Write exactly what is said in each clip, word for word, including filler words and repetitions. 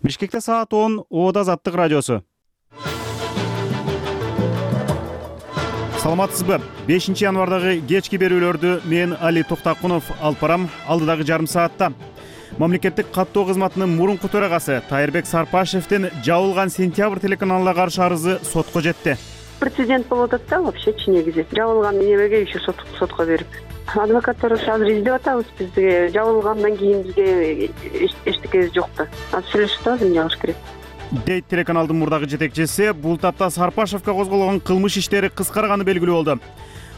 Бишкекте саат он, Ода Азаттык радиосу. Саламатсызбы? бешинчи январдагы кечки берүүлөрдү мен Али Токтакунов алып барам. Алдыдагы жарым саатта мамлекеттик каттоо кызматынын мурунку төрагасы Тайырбек Сарпашевдин жабылган Сентябрь телеканалына каршы арызы сотко жетти. Прецедент болуп атат да вообще негизи. Жабылган немеге еще сотко берип. Адвокаттар азыр издеп атабыз, бизге жабылгандан кийин бизге эчтекебиз жок да. Азыр сүйлөшүп атабыз, эмне кылыш керек дейт телеканалдын мурдагы жетекчиси. Бул тапта Сарпашевге козголгон кылмыш иштери кыскарганы белгилүү болду.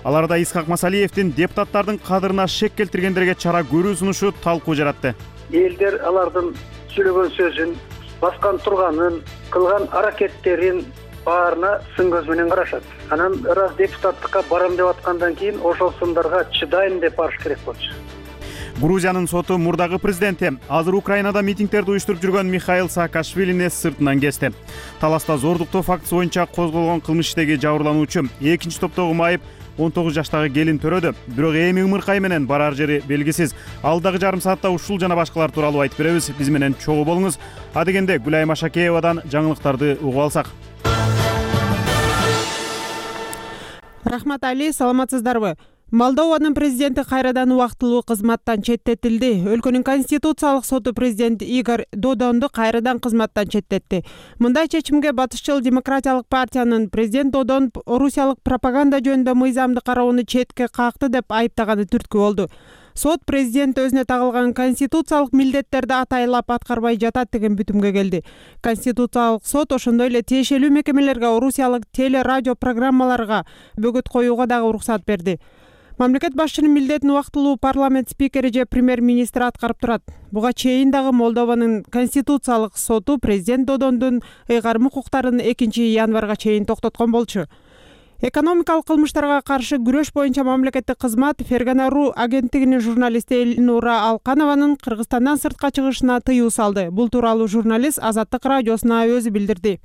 Аларда Исхак Масалиевдин депутаттардын кадырына шек келтиргендерге чара көрүү сунушу талкуу жаратты. Элдер алардын сүйлөгөн сөзүн, баскан турганын, кылган аракеттерин баарына сын көз менен карашат. Анан раз депутаттыкка барам деп аткандан кийин ошол сындарга чыдайм деп барыш керек болчу. Грузиянын соту мурдагы президенти азыр Украинада митингдерди уюштуруп жүргөн Михаил Саакашвилини сыртынан кести. Таласта зордуктоо фактысы боюнча козголгон кылмыш иштеги жабырлануучу экинчи топтогу майып он тогуз жаштагы келин төрөдү. Бирок эми ымыркай менен барар жери белгисиз. Алдагы жарым саатта ушул жана башкалар тууралуу айтып беребиз. Биз менен чогуу болуңуз. Адегенде Гүлайым Ашакеевадан жаңылыктарды угуп алсак. Рахмат Али, саламатсыздарбы? Молдованын президенти кайрадан убактылуу кызматтан четтетилди. Өлкөнүн конституциялык соту президент Игорь Додонду кайрадан кызматтан четтетти. Мындай чечимге батышчыл демократиялык партиянын президент Додон орусиялык пропаганда жөнүндө мыйзамды кароону четке какты деп айыптаганы түрткү болду. Сот президент өзүнө тагылган конституциялык милдеттерди атайлап аткарбай жатат деген бүтүмгө келди. Конституциялык сот ошондой эле тиешелүү мекемелерге орусиялык теле радио программаларга бөгөт коюуга дагы уруксат берди. Мамлекет башчынын милдетин убактылуу парламент спикери же премьер-министр аткарып турат. Буга чейин дагы Молдованын конституциялык соту президент Додондун ыйгарым укуктарын экинчи январга чейин токтоткон болчу. Экономикалык кылмыштарга каршы күрөш боюнча мамлекеттик кызмат Фергана.ру агенттигинин журналисти Эльнура Алканованын Кыргызстандан сыртка чыгышына тыюу салды. Бул тууралуу журналист Азаттык радиосуна өзү билдирди.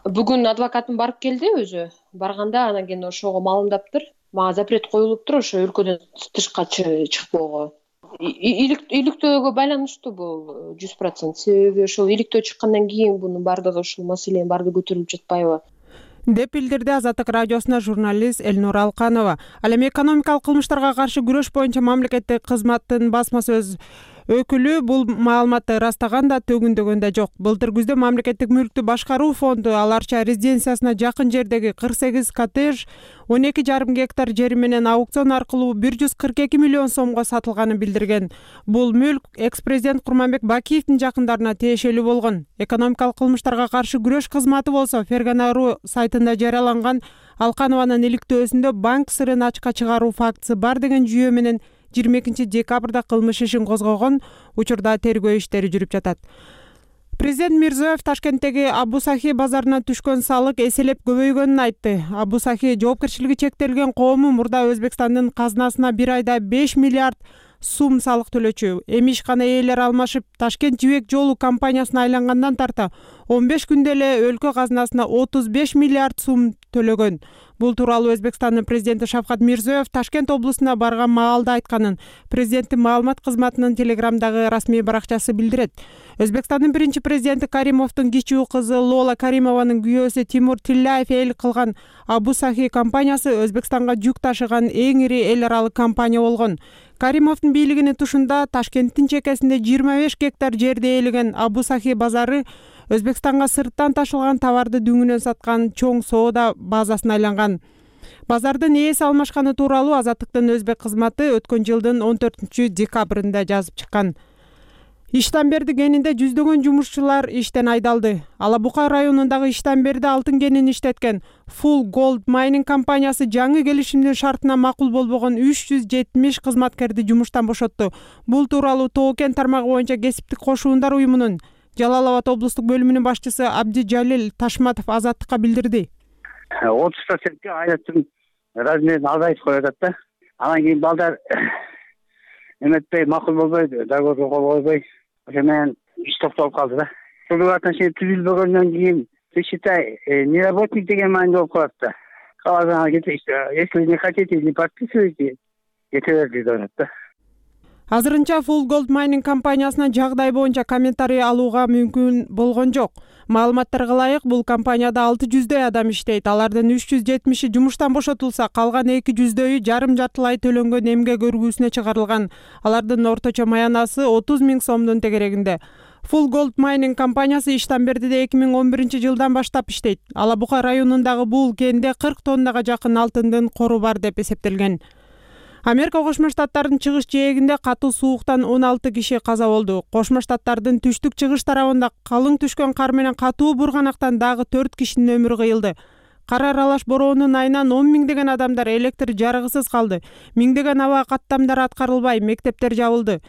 Бүгүн адвокатым барып келди өзү. Барганда анан кийин ошого маалымдаптыр. Мага запрет коюлуптур ошо өлкөдөн тышка чыкпоого. Иликтөөгө байланыштуу бул жүз процент. Себеби ошол иликтөө чыккандан кийин бунун бардыгы ушул маселенин бардыгы көтөрүлүп жатпайбы деп билдирди Азаттык радиосуна журналист Эльнура Алканова. Ал эми экономикалык кылмыштарга каршы күрөш боюнча мамлекеттик кызматтын басма сөз өкүлү бул маалыматты ырастаган да төгүндөгөн да жок. Былтыр күздө мамлекеттик мүлктү башкаруу фонду Аларча резиденциясына жакын жердеги кырк сегиз коттедж он эки жарым гектар жери менен аукцион аркылуу бир жүз кырк эки миллион сомго сатылганын билдирген. Бул мүлк экс-президент Курманбек Бакиевдин жакындарына тиешелүү болгон. Экономикалык кылмыштарга каршы күрөш кызматы болсо Фергана.ру сайтында жарыяланган Алканованын иликтөөсүндө банк сырын ачыкка чыгаруу фактысы бар деген жүйө менен жыйырма экинчи декабрда кылмыш ишин козгогон. Учурда тергөө иштери жүрүп жатат. Президент Мирзиёев Ташкенттеги Абу Сахи базарына түшкөн салык эселеп көбөйгөнүн айтты. Абу Сахи жоопкерчилиги чектелген коому мурда Өзбекстандын казынасына бир айда беш миллиард сум салык төлөчү. Эми ишкана ээлери алмашып, Ташкент жибек жолу компаниясына айлангандан тарта он беш күндө эле өлкө казынасына отуз беш миллиард сум төлөгөн. Бул тууралуу Өзбекстандын президенти Шавкат Мирзиёев Ташкент облусуна барган маалда айтканын президенттин маалымат кызматынын телеграмдагы расмий баракчасы билдирет. Өзбекстандын биринчи президенти Каримовдун кичүү кызы Лола Каримованын күйөөсү Тимур Тилляев эл кылган Абу Сахи компаниясы Өзбекстанга жүк ташыган эң ири эл аралык компания болгон. Каримовдун бийлигинин тушунда Ташкенттин чекесинде жыйырма беш гектар жерди ээлеген Абу Сахи базары Өзбекстанга сырттан ташылган товарды дүңүнөн саткан чоң соода базасына айланган. Базардын ээси алмашканы тууралуу Азаттыктын өзбек кызматы өткөн жылдын он төртүнчү декабрында жазып чыккан. Иштамберди кенинде жүздөгөн жумушчулар иштен айдалды. Алабука районундагы Иштамберди алтын кенин иштеткен Full Gold Mining компаниясы жаңы келишимдин шартына макул болбогон үч жүз жетимиш кызматкерди жумуштан бошотту. Бул тууралуу Тоо кен тармагы боюнча кесиптик кошуундар уюмунун Жалал Абад облустук бөлүмүнүн башчысы Абди Жалил Ташматов Азаттыкка билдирди. отуз процентке айраттын размерин азайтып коюп да. Анан кийин балдар эметпей, макул болбой, договорго кол койбой, ошо менен иш токтолуп калды да. Трудовые отношения түзүлбөгөндөн кийин, ты считай, не работник деген маанидө болуп калат да. Калган, если не хотите, не подписывайте, кете берди деп атат да. Азырынча Full Gold Mining компаниясынан жагдай боюнча комментарий алууга мүмкүн болгон жок. Маалыматтарга ылайык, бул компанияда алты жүздөй адам иштейт. Алардын үч жүз жетимиши жумуштан бошотулса, калган эки жүздөйү жарым жартылай төлөнгөн эмгек өргүүсүнө чыгарылган. Алардын орточо маянасы отуз миң сомдун тегерегинде. Full Gold Mining компаниясы Иштанбердиде эки миң он биринчи жылдан баштап иштейт. Ала Бука районундагы бул кенде кырк тоннага жакын алтындын кору бар деп эсептелген. Америка Кошмо Штаттарынын чыгыш жээгинде катуу сууктан он алты киши каза болду. Кошмо Штаттардын түштүк-чыгыш тарабында калың түшкөн кар менен катуу бурганактан дагы төрт кишинин өмүрү кыйылды. Кар аралаш бороонун айынан он миңдеген адамдар электр жарыгысыз калды. Миңдеген аба каттамдары аткарылбай, мектептер жабылды.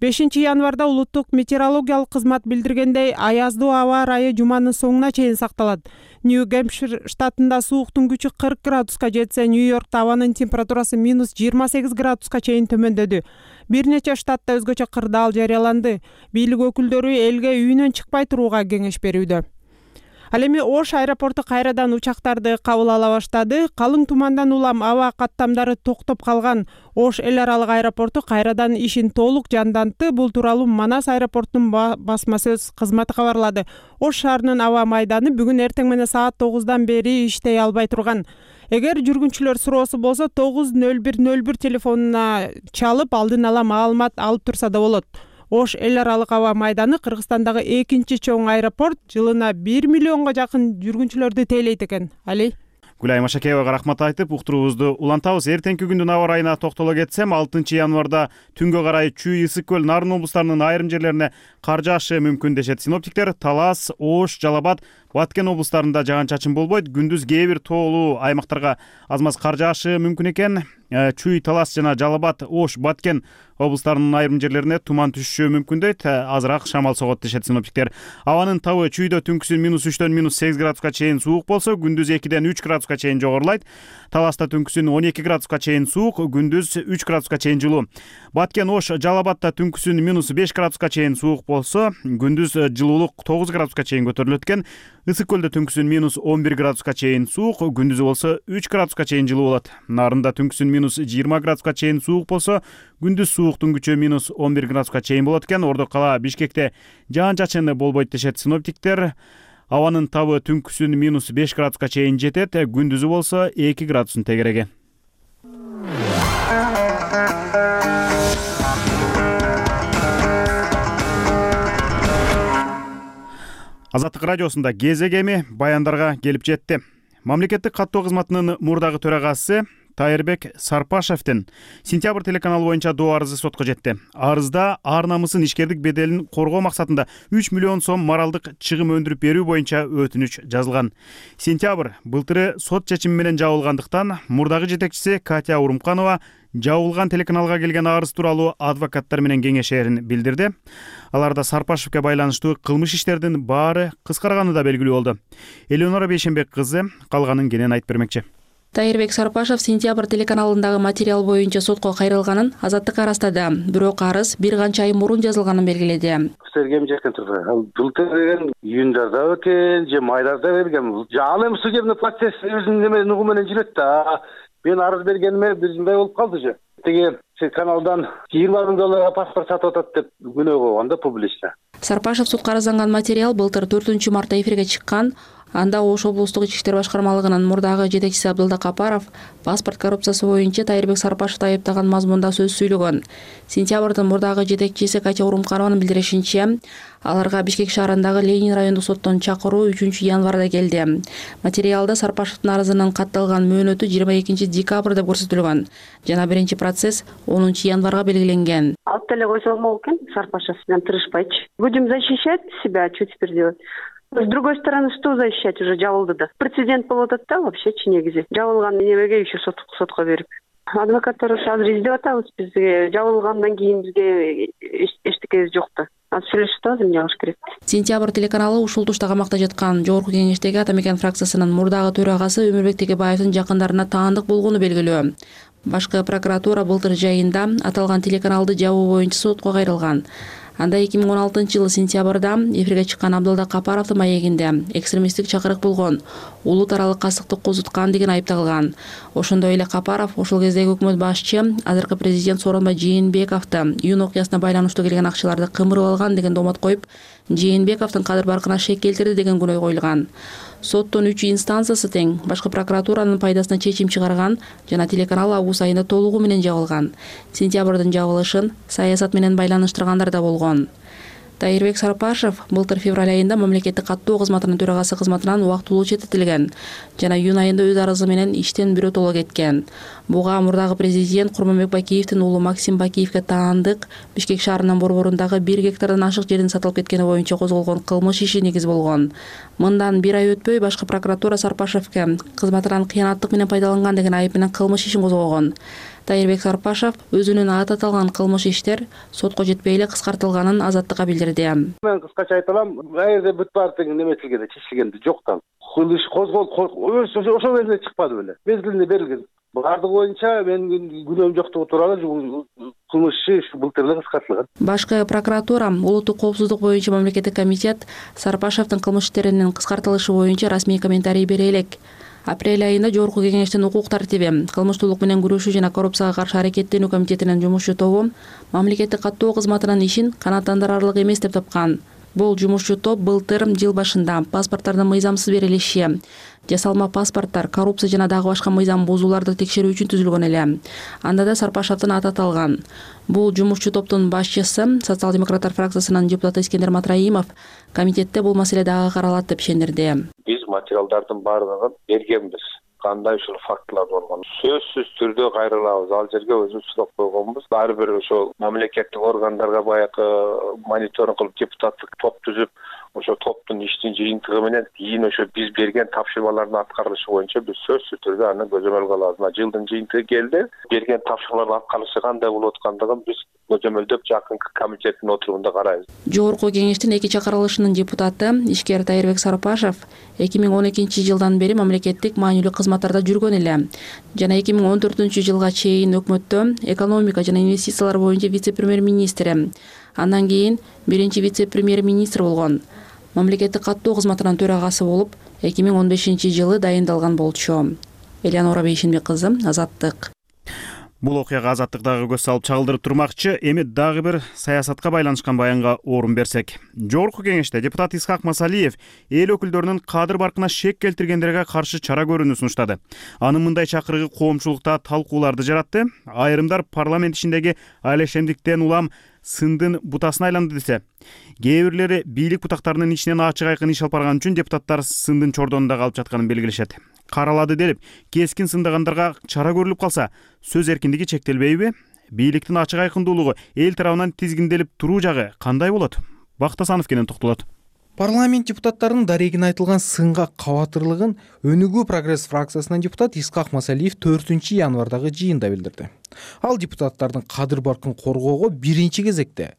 бешинчи январда улуттук метеорологиялык кызмат билдиргендей, аяздуу аба ырайы жуманын соңуна чейин сакталат. Нью-Гэмпшир штатында сууктун күчү кырк градуска жетсе, Нью-Йоркто абанын температурасы минус жыйырма сегиз градуска чейин төмөндөдү. Бир нече штатта өзгөчө кырдаал жарыяланды. Бийлик өкүлдөрү элге үйүнөн чыкпай турууга кеңеш берүүдө. Ал эми Ош аэропорту кайрадан учактарды кабыл ала баштады. Калың тумандан улам аба каттамдары токтоп калган Ош эл аралык аэропорту кайрадан ишин толук жандантты. Бул тууралуу Манас аэропортунун басма сөз кызматы кабарлады. Ош шаарынын аба майданы бүгүн эртең менен саат тогуздан бери иштей албай турган. Эгер жүргүнчүлөр суроосу болсо тогуз нөл бир нөл бир телефонуна чалып алдын ала маалымат алып турса да болот. Ош эл аралык аба майданы Кыргызстандагы экинчи чоң аэропорт, жылына бир миллионго жакын жүргүнчүлөрдү тейлейт экен. Али Гүлай Машакеевага рахмат айтып, уктуруубузду улантабыз. Эртеңки күндүн аба ырайына токтоло кетсем, алтынчы январда түнгө карай Чүй, Ысык көл, Нарын облустарынын айрым жерлерине кар жаашы мүмкүн дешет синоптиктер. Талас, Ош, Жалал Абад, Баткен облустарында жаан-чачын болбойт. Күндүз кээ бир тоолуу аймактарга аз маз кар жаашы мүмкүн экен. Чүй, Талас жана Жалал Абад, Ош, Баткен облустарынын айрым жерлерине туман түшүшү мүмкүн дейт. Азыраак шамал согот дешет синоптиктер. Абанын табы Чүйдө түнкүсүн минус үчтөн минус сегиз градуска чейин суук болсо, күндүз экиден үч градуска чейин жогорулайт. Таласта түнкүсүн он эки градуска чейин суук, күндүз үч градуска чейин жылуу. Баткен, Ош, Жалал Абадта түнкүсүн минус беш градуска чейин суук болсо, күндүз жылуулук тогуз градуска чейин көтөрүлөт экен. Ысык көлдө түнкүсүн минус он бир градуска чейин суук, күндүзү болсо үч градуска чейин жылуу болот. Нарында түнкүсүн минус жыйырма градуска чейин суук болсо, күндүз сууктун күчү минус он бир градуска чейин болот экен. Ордо кала Бишкекте жаан-чачын болбойт дешет синоптиктер. Абанын табы түнкүсүн минус беш градуска чейин жетет, күндүзү болсо эки градустун тегереги. Азаттык радиосунда кезек эми баяндарга келип жетти. Мамлекеттик каттоо кызматынын мурдагы төрагасы Тайырбек Сарпашевдин Сентябрь телеканалы боюнча доо арызы сотко жетти. Арызда ар намысын, ишкердик беделин коргоо максатында үч миллион сом моралдык чыгым өндүрүп берүү боюнча өтүнүч жазылган. Сентябрь былтыры сот чечими менен жабылгандыктан мурдагы жетекчиси Катя Урумканова жабылган телеканалга келген арыз тууралуу адвокаттар менен кеңешерин билдирди. Аларда Сарпашевке байланыштуу кылмыш иштердин баары кыскарганы да белгилүү болду. Элеонора Бейшенбек кызы калганын кенен айтып бермекчи. Тайырбек Сарпашев Сентябрь телеканалындагы материал боюнча сотко кайрылганын Азаттыкка ырастады. Бирок арыз бир канча ай мурун жазылганын белгиледи. Сергем жакын турду. Ал былтыр деген июндарда экен, же майдарда берген. Ал эми судебный процесс өзүнүн эме нугу менен жүрөт да. Мен арыз бергениме бир жылдай болуп калды же. Теге каналдан жыйырма миң долларга паспорт сатып атат деп күнөө койгон да публично. Сарпашев сотко арызланган материал былтыр төртүнчү мартта эфирге чыккан. Анда Ош облустук ички иштер башкармалыгынын мурдагы жетекчиси Абдылда Капаров паспорт коррупциясы боюнча Тайырбек Сарпашевди айыптаган мазмунда сөз сүйлөгөн. Сентябрдын мурдагы жетекчиси Катя Урумканованын билдиришинче, аларга Бишкек шаарындагы Ленин райондук соттон чакыруу үчүнчү январда келди. Материалда Сарпашевдин арызынын катталган мөөнөтү жыйырма экинчи декабрь деп көрсөтүлгөн жана биринчи процесс онунчу январга белгиленген. Алып деле койсо болмок экен, Сарпашев менен тырышпайчы. Будем защищать себя, что теперь делать? С другой стороны, что защищать, уже жабылды да. Прецедент болуп атат да вообще негизи. Жабылган немеге еще сотко берип. Адвокаттар азыр издеп атабыз, бизге жабылгандан кийин бизге эчтекебиз жок да. Азыр сүйлөшүп атабыз, эмне кылыш керек. Сентябрь телеканалы ушул тушта камакта жаткан Жогорку Кеңештеги Атамекен фракциясынын мурдагы төрагасы Өмүрбек Текебаевдин жакындарына таандык болгону белгилүү. Башкы прокуратура былтыр жайында аталган телеканалды жабуу боюнча сотко кайрылган. Анда эки миң он алтынчы жылы сентябрда эфирге чыккан Абдылда Капаровдун маегинде экстремисттик чакырык болгон, улут аралык кастыкты козуткан деген айып тагылган. Ошондой эле Капаров ошол кездеги өкмөт башчы азыркы президент Сооронбай Жээнбековду июнь окуясына байланыштуу келген акчаларды кымырып алган деген доомот коюп, Жээнбековдун кадыр баркына шек келтирди деген күнөө коюлган. Соттун үч инстанциясы тең башкы прокуратуранын пайдасына чечим чыгарган жана телеканал август айында толугу менен жабылган. Сентябрдын жабылышын саясат менен байланыштыргандар да болгон. Тайырбек Сарпашев былтыр февраль айында мамлекеттик каттоо кызматынын төрагасы кызматынан убактылуу четтетилген жана июнь айында өз арызы менен иштен биротоло кеткен. Буга мурдагы президент Курманбек Бакиевдин уулу Максим Бакиевге таандык Бишкек шаарынын борборундагы бир гектардан ашык жердин сатылып кеткени боюнча козголгон кылмыш иши негиз болгон. Мындан бир ай өтпөй башкы прокуратура Сарпашевге кызматынан кыянаттык менен пайдаланган деген айып менен кылмыш ишин козгогон. Тайырбек Сарпашев өзүнүн аты аталган кылмыш иштер сотко жетпей эле кыскартылганын азаттыкка билдирди. Мен кыскача айта алам, кайерде бүт бар деген неметилгенде, чечилгенде жоктан. Кыл иш козголуп ошол кезде чыкпады беле. Мезгилинде берилген. Бардыгы боюнча мен күнөөм жоктугу тууралуу кылмыш иши былтыр эле кыскартылган. Башкы прокуратура улуттук коопсуздук боюнча мамлекеттик комитет Сарпашевдин кылмыш иштеринин кыскартылышы боюнча расмий комментарий бере элек. Апрель айында Жогорку Кеңештин укук тартиби, кылмыштуулук менен күрөшүү жана коррупцияга каршы аракеттенүү комитетинин жумушчу тобу мамлекеттик каттоо кызматынын ишин канааттандырарлык эмес деп тапкан. Бул жумушчу топ былтыр жыл башында паспорттардын мыйзамсыз берилиши, жасалма паспорттар, коррупция жана дагы башка мыйзам бузууларды текшерүү үчүн түзүлгөн эле. Анда да Сарпашевдин аты аталган. Бул жумушчу топтун башчысы социал-демократтар фракциясынын депутаты Искендер Матраимов комитетте бул маселе дагы каралат деп ишендирди. Биз материалдардын баардыгын бергенбиз. Кандай ушул фактылар болгон сөзсүз түрдө кайрылабыз. Ал жерге өзүбүз сурап койгонбуз. Ар бир ошол мамлекеттик органдарга баягы мониторинг кылып депутаттык топ түзүп, ошо топтун иштин жыйынтыгы менен кийин ошо биз берген тапшырмалардын аткарылышы боюнча биз сөзсүз түрдө аны көзөмөлгө алабыз. Мына жылдын жыйынтыгы келди. Берген тапшырмалардын аткарылышы кандай болуп аткандыгын биз көзөмөлдөп жакынкы комитеттин отурумунда карайбыз. Жогорку Кеңештин эки чакырылышынын депутаты ишкер Тайырбек Сарпашев эки миң он экинчи жылдан бери мамлекеттик маанилүү кызматтарда жүргөн эле жана эки миң он төртүнчү жылга чейин өкмөттө экономика жана инвестициялар боюнча вице-премьер-министри, андан кийин биринчи вице-премьер-министр болгон. Мамлекеттик каттоо кызматынын төрагасы болуп эки миң он бешинчи жылы дайындалган болчу. Элянора Бейшенбек кызы, Азаттык. Бул окуяга Азаттык дагы көз салып чагылдырып турмакчы. Эми дагы бир саясатка байланышкан баянга орун берсек. Жогорку Кеңеште депутат Исхак Масалиев эл өкүлдөрүнүн кадыр баркына шек келтиргендерге каршы чара көрүүнү сунуштады. Анын мындай чакырыгы коомчулукта талкууларды жаратты. Айрымдар парламент ишиндеги алешемдиктен улам сындын бутасына айланды десе, кээ бирлери бийлик бутактарынын ичинен ачык айкын иш алып барган үчүн депутаттар сындын чордонунда калып жатканын белгилешет. Каралады делип, кескин сындагандарга чара көрүлүп калса, сөз эркиндиги чектелбейби? Бийликтин ачык айкындуулугу эл тарабынан тизгинделип туруу жагы кандай болот? Бактасанов кенен токтолот. Парламент депутаттарынын дарегине айтылган сынга кабатырлыгын Өнүгүү прогресс фракциясынын депутат Исхак Масалиев төртүнчү январдагы жыйында билдирди. Ал депутаттардын кадыр баркын коргоого биринчи кезекте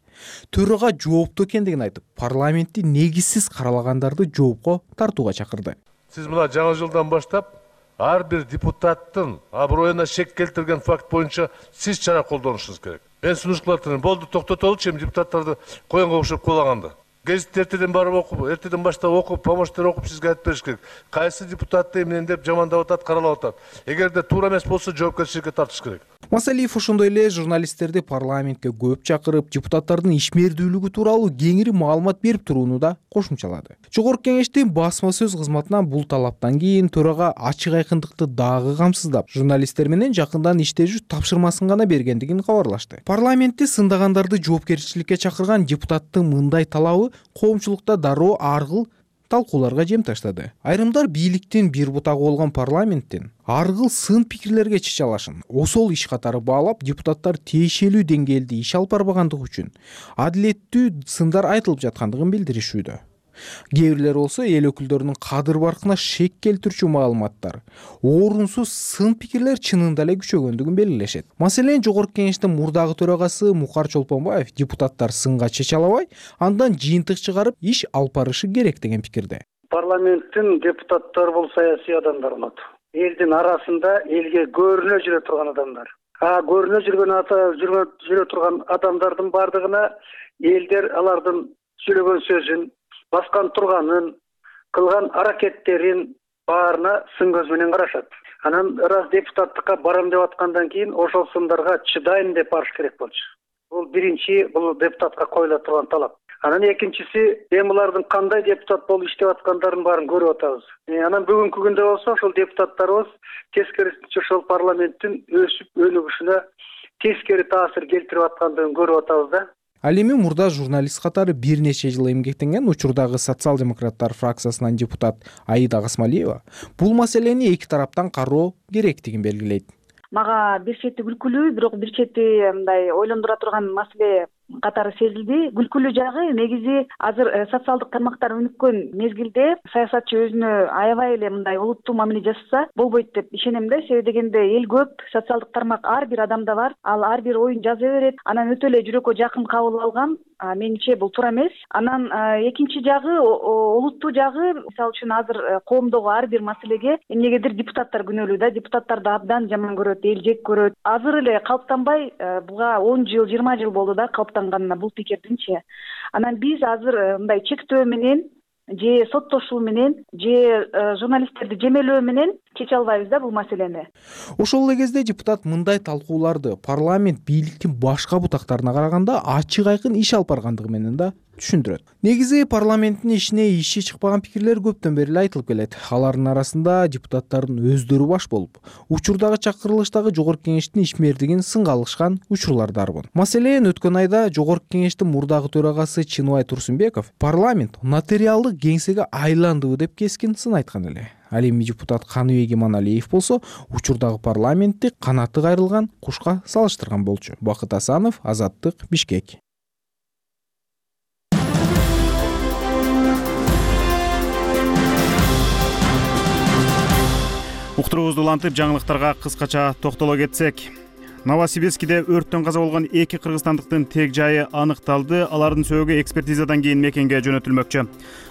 төрага жооптуу экендигин айтып, парламентти негизсиз каралагандарды жоопко тартууга чакырды. Сиз мына жаңы жылдан баштап ар бир депутаттын аброюна шек келтирген факт боюнча сиз чара колдонушуңуз керек. Мен сунуштууларды болду токтотолучу, эми депутаттарды коюнга окшоп кулаганды. Гезит эртеден барып окуп, эртеден баштап окуп, помощтер окуп сизге айтып бериш керек. Кайсы депутатты эмнен деп жамандап атат, каралап атат. Эгерде туура эмес болсо жоопкерчиликке тартыш керек. Масалиев ошондой эле журналисттерди парламентке көп чакырып, депутаттардын ишмердүүлүгү тууралуу кеңири маалымат берип турууну да кошумчалады. Жогорку Кеңештин басма сөз кызматынан бул талаптан кийин төрага ачык айкындыкты дагы камсыздап, журналисттер менен жакындан иштешүү тапшырмасын гана бергендигин кабарлашты. Парламентти сындагандарды жоопкерчиликке чакырган депутаттын мындай талабы коомчулукта дароо аргыл талкууларга жем таштады. Айрымдар бийликтин бир бутагы болгон парламенттин аргыл сын пикирлерге чече алышын осол иш катары баалап, депутаттар тиешелүү деңгээлде иш алып барбагандыгы үчүн адилеттүү сындар айтылып жаткандыгын билдиришүүдө. Кээ бирлер болсо эл өкүлдөрүнүн кадыр баркына шек келтирүүчү маалыматтар, орунсуз сын пикирлер чынында эле күчөгөндүгүн белгилешет. Маселен, Жогорку Кеңештин мурдагы төрагасы Мукар Чолпонбаев депутаттар сынга чече албай, андан жыйынтык чыгарып иш алып барышы керек деген пикирде. Парламенттин депутаттары бул саясий адамдар болот. Элдин арасында элге көрүнө жүрө турган адамдар. А көрүнө жүргөн ата жүрө жүрө турган адамдардын бардыгына элдер алардын сүйлөгөн сөзүн, баскан турганын, кылган аракеттерин баарына сын көз менен карашат. Анан раз депутаттыкка барам деп аткандан кийин ошол сындарга чыдайм деп барыш керек болчу. Бул биринчи, бул депутатка коюла турган талап. Анан экинчиси, эми булардын кандай депутат болуп иштеп аткандарын баарын көрүп атабыз. Анан бүгүнкү күндө болсо ошол депутаттарыбыз тескерисинче ошол парламенттин өсүп өнүгүшүнө тескери таасир келтирип аткандыгын көрүп атабыз да. Ал эми мурда журналист катары бир нече жыл эмгектенген учурдагы социал-демократтар фракциясынан депутат Аида Гасмалиева бул маселени эки тараптан кароо керектигин белгилейт. Мага бир чети күлкүлүү, бирок бир чети мындай ойлондура турган маселе катары сезилди. Күлкүлүү жагы негизи азыр социалдык тармактар өнүккөн мезгилде саясатчы өзүнө аябай эле мындай олуттуу мамиле жасаса болбойт деп ишенем да. Себеби дегенде эл көп, социалдык тармак ар бир адамда бар. Ал ар бир оюн жаза берет. Анан өтө эле жүрөккө жакын кабыл алган. Менимче бул туура эмес. Анан экинчи жагы, олуттуу жагы, мисалы үчүн азыр коомдогу ар бир маселеге эмнегедир депутаттар күнөөлүү да. Депутаттарды абдан жаман көрөт, эл жек көрөт. Азыр эле калыптанбай, буга он жыл, жыйырма жыл болду да калыптанганына бул пикирдинчи. Анан биз азыр мындай чектөө менен же соттошуу менен же журналисттерди жемелөө менен чече албайбыз да бул маселени. Ошол эле кезде депутат мындай талкууларды парламент бийликтин башка бутактарына караганда ачык айкын иш алып баргандыгы менен да түшүндүрөт. Негизи парламенттин ишине иши чыкпаган пикирлер көптөн бери эле айтылып келет. Алардын арасында депутаттардын өздөрү баш болуп, учурдагы чакырылыштагы жогорку кеңештин ишмердигин сынга алышкан учурлар дарбын. Маселен, өткөн айда жогорку кеңештин мурдагы төрагасы Чыныбай Турсунбеков парламент нотариалдык кеңсеге айландыбы деп кескин сын айткан эле. Ал эми депутат Каныбек Иманалиев болсо учурдагы парламентти канаты кайрылган кушка салыштырган болчу. Бакыт Асанов, Азаттык, Бишкек. Уктуруубузду улантып жаңылыктарга кыскача токтоло кетсек. Новосибирскиде өрттөн каза болгон эки кыргызстандыктын тег жайы аныкталды. Алардын сөөгү экспертизадан кийин мекенге жөнөтүлмөкчү.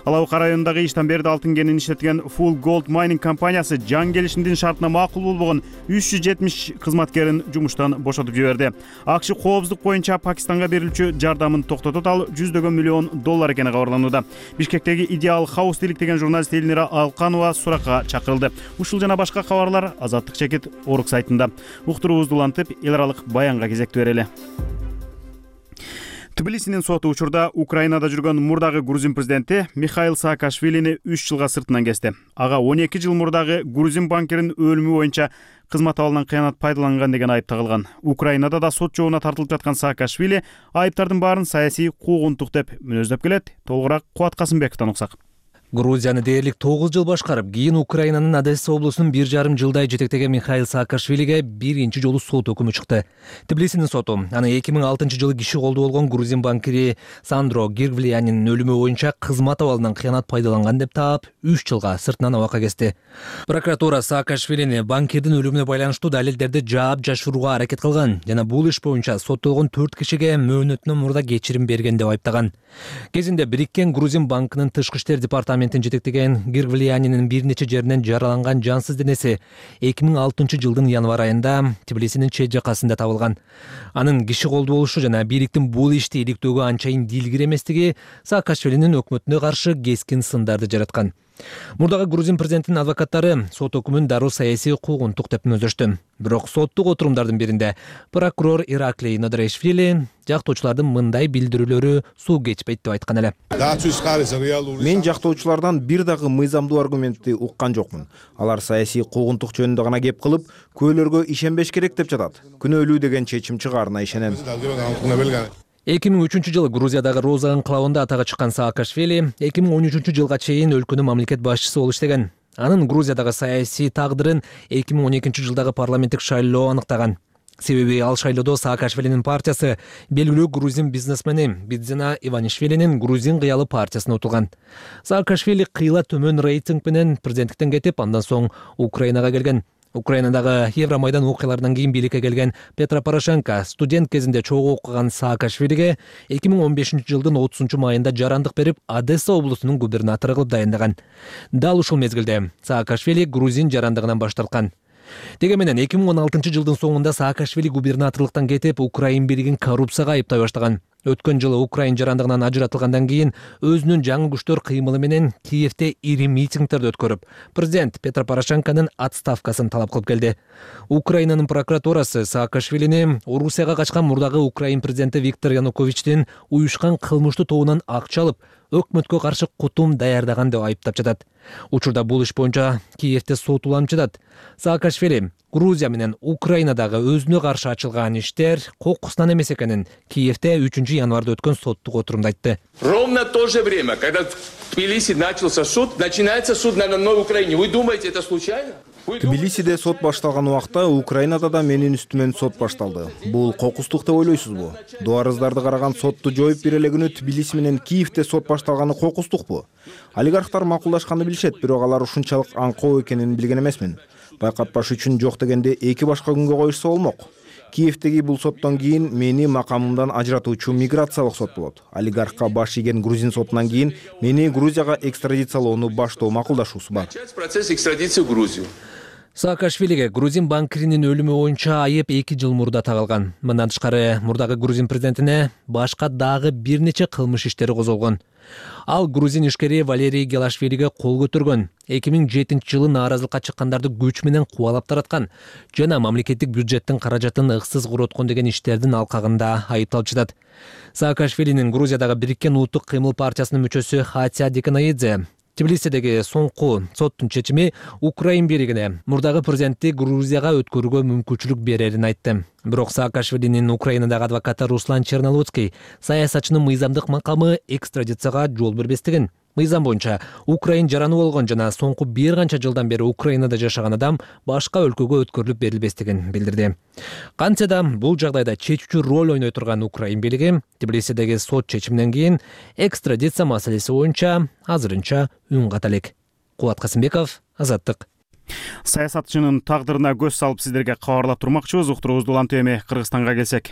Ал Абы районундагы иштан берди алтын кенин иштеткен Full Gold Mining компаниясы жан келишимдин шартына макул болбогон үч жүз жетимиш кызматкерин жумуштан бошотуп жиберди. АКШ коопсуздук боюнча Пакистанга берилчү жардамын токтотот, ал жүздөгөн миллион доллар экени кабарланууда. Бишкектеги Идеал Хаус иликтеген журналист Эльнира Алканова суракка чакырылды. Ушул жана башка кабарлар Азаттык чекит Орг сайтында. Уктуруубузду улантып эл аралык баянга кезектүү берели. Тбилисинин соту учурда Украинада жүргөн мурдагы грузин президенти Михаил Саакашвилини үч жылга сыртынан кести. Ага он эки жыл мурдагы грузин банкиринин өлүмү боюнча кызмат абалынан кыянат пайдаланган деген айып тагылган. Украинада да сот жообуна тартылып жаткан Саакашвили айыптардын баарын саясий куугунтук деп мүнөздөп келет. Толугураак Кубат Касымбековдон уксак. Грузияны дээрлик тогуз жыл башкарып, кийин Украинанын Одесса облусунун бир жарым жылдай жетектеген Михаил Саакашвилиге биринчи жолу сот өкүмү чыкты. Тбилисинин соту аны эки миң алтынчы жылы киши колду болгон грузин банкири Сандро Гирглиянин өлүмү боюнча кызмат абалынан кыянат пайдаланган деп таап, үч жылга сыртынан абакка кести. Прокуратура Саакашвилини банкирдин өлүмүнө байланыштуу далилдерди жаап жашырууга аракет кылган жана бул иш боюнча соттолгон төрт кишиге мөөнөтүнөн мурда кечирим берген деп айыптаган. Кезинде Бириккен грузин банкынын тышкы иштер департаментин жетектеген Гирглиянинин бир нече жеринен жараланган жансыз денеси эки миң алтынчы жылдын январь айында Тбилисинин чет жакасында табылган. Анын киши колду болушу жана бийликтин бул ишти иликтөөгө анчайын дилгир эместиги Саакашвилинин өкмөтүнө каршы кескин сындарды жараткан. Мурдагы грузин президентинин адвокаттары сот өкүмүн дароо саясий куугунтук деп мүнөздөштү. Бирок соттук отурумдардын биринде прокурор Ираклий Нодрешвили жактоочулардын мындай билдирүүлөрү суу кечпейт деп айткан эле. Мен жактоочулардан бир дагы мыйзамдуу аргументти уккан жокмун. Алар саясий куугунтук жөнүндө гана кеп кылып, көөлөргө ишенбеш керек деп жатат. Күнөөлүү деген чечим чыгаарына ишенем. эки миң үчүнчү жылы Грузиядагы Роза анклавында атага чыккан Саакашвили эки миң он үчүнчү жылга чейин өлкөнүн мамлекет башчысы болуп иштеген. Анын Грузиядагы саясий тагдырын эки миң он экинчи жылдагы парламенттик шайлоо аныктаган. Себеби ал шайлоодо Саакашвилинин партиясы белгилүү грузин бизнесмени Бидзина Иванишвилинин грузин кыялы партиясына утулган. Саакашвили кыйла төмөн рейтинг менен президенттиктен кетип, андан соң Украинага келген. Украинадагы Евромайдан окуяларынан кийин бийликке келген Петро Порошенко студент кезинде чогуу окуган Саакашвилиге эки миң он бешинчи жылдын отузунчу майында жарандык берип, Одесса облусунун губернатору кылып дайындаган. Дал ушул мезгилде Саакашвили грузин жарандыгынан баш тарткан. Деге менен эки миң он алтынчы жылдын соңунда Саакашвили губернаторлуктан кетип, Украин бийлигин коррупцияга айыптай баштаган. өткөн жылы Украин жарандыгынан ажыратылгандан кийин өзүнүн жаңы күчтөр кыймылы менен Киевде ири митингдерди өткөрүп, президент Петро Порошенконун отставкасын талап кылып келди. Украинанын прокуратурасы Саакашвилини Орусияга качкан мурдагы Украин президенти Виктор Януковичтин уюшкан кылмыштуу тобунан акча алып, өкмөткө каршы кутум даярдаган деп айыптап жатат. Учурда бул иш боюнча Киевде сот уланып жатат. Саакашвили Грузия менен Украинадагы өзүнө каршы ачылган иштер кокусунан эмес экенин Киевде үчүнчү январда өткөн соттук отурумда айтты. Ровно в то же время, когда в Тбилиси начался суд, начинается суд на новой Украине. Вы думаете, это случайно? Тбилисиде сот башталган убакта Украинада да менин үстүмөн сот башталды. Бул кокустук деп ойлойсузбу? Дуарыздарды караган сотту жоюп бере эле күнү Тбилиси менен Киевде сот башталганы кокустукпу? Олигархтар макулдашканды билишет, бирок алар ушунчалык аңкоо экенин билген эмесмин. Байкатпаш үчүн жок дегенде эки башка күнгө коюшса болмок. Киевдеги бул соттон кийин мени макамымдан ажыратуучу миграциялык сот болот. Олигархка баш ийген грузин сотунан кийин мени Грузияга экстрадициялоону баштоо макулдашуусу бар. Процесс экстрадиции в Грузию. Саакашвилиге грузин банкиринин өлүмү боюнча айып эки жыл мурда тагылган. Мындан тышкары мурдагы грузин президентине башка дагы бир нече кылмыш иштери козголгон. Ал грузин ишкери Валерий Гелашвилиге кол көтөргөн, эки миң жетинчи жылы нааразылыкка чыккандарды күч менен кубалап тараткан жана мамлекеттик бюджеттин каражатын ыксыз короткон деген иштердин алкагында айыпталып жатат. Саакашвилинин Грузиядагы Бириккен улуттук кыймыл партиясынын мүчөсү Хатия Деканаидзе Тбилисидеги соңку соттун чечими Украин бийлигине мурдагы президентти Грузияга өткөрүүгө мүмкүнчүлүк берерин айтты. Бирок Саакашвилинин Украинадагы адвокаты Руслан Чернолуцкий саясатчынын мыйзамдык макамы экстрадицияга жол бербестигин, мыйзам боюнча Украин жараны болгон жана соңку бир канча жылдан бери Украинада жашаган адам башка өлкөгө өткөрүлүп берилбестигин билдирди. Кантсе да бул жагдайда чечүүчү роль ойной турган Украин бийлиги Тбилисидеги сот чечиминен кийин экстрадиция маселеси боюнча азырынча үн ката элек. Кубат Касымбеков, Азаттык. Саясатчынын тагдырына көз салып сиздерге кабарлап турмакчыбыз. Уктуруубузду улантып эми Кыргызстанга келсек.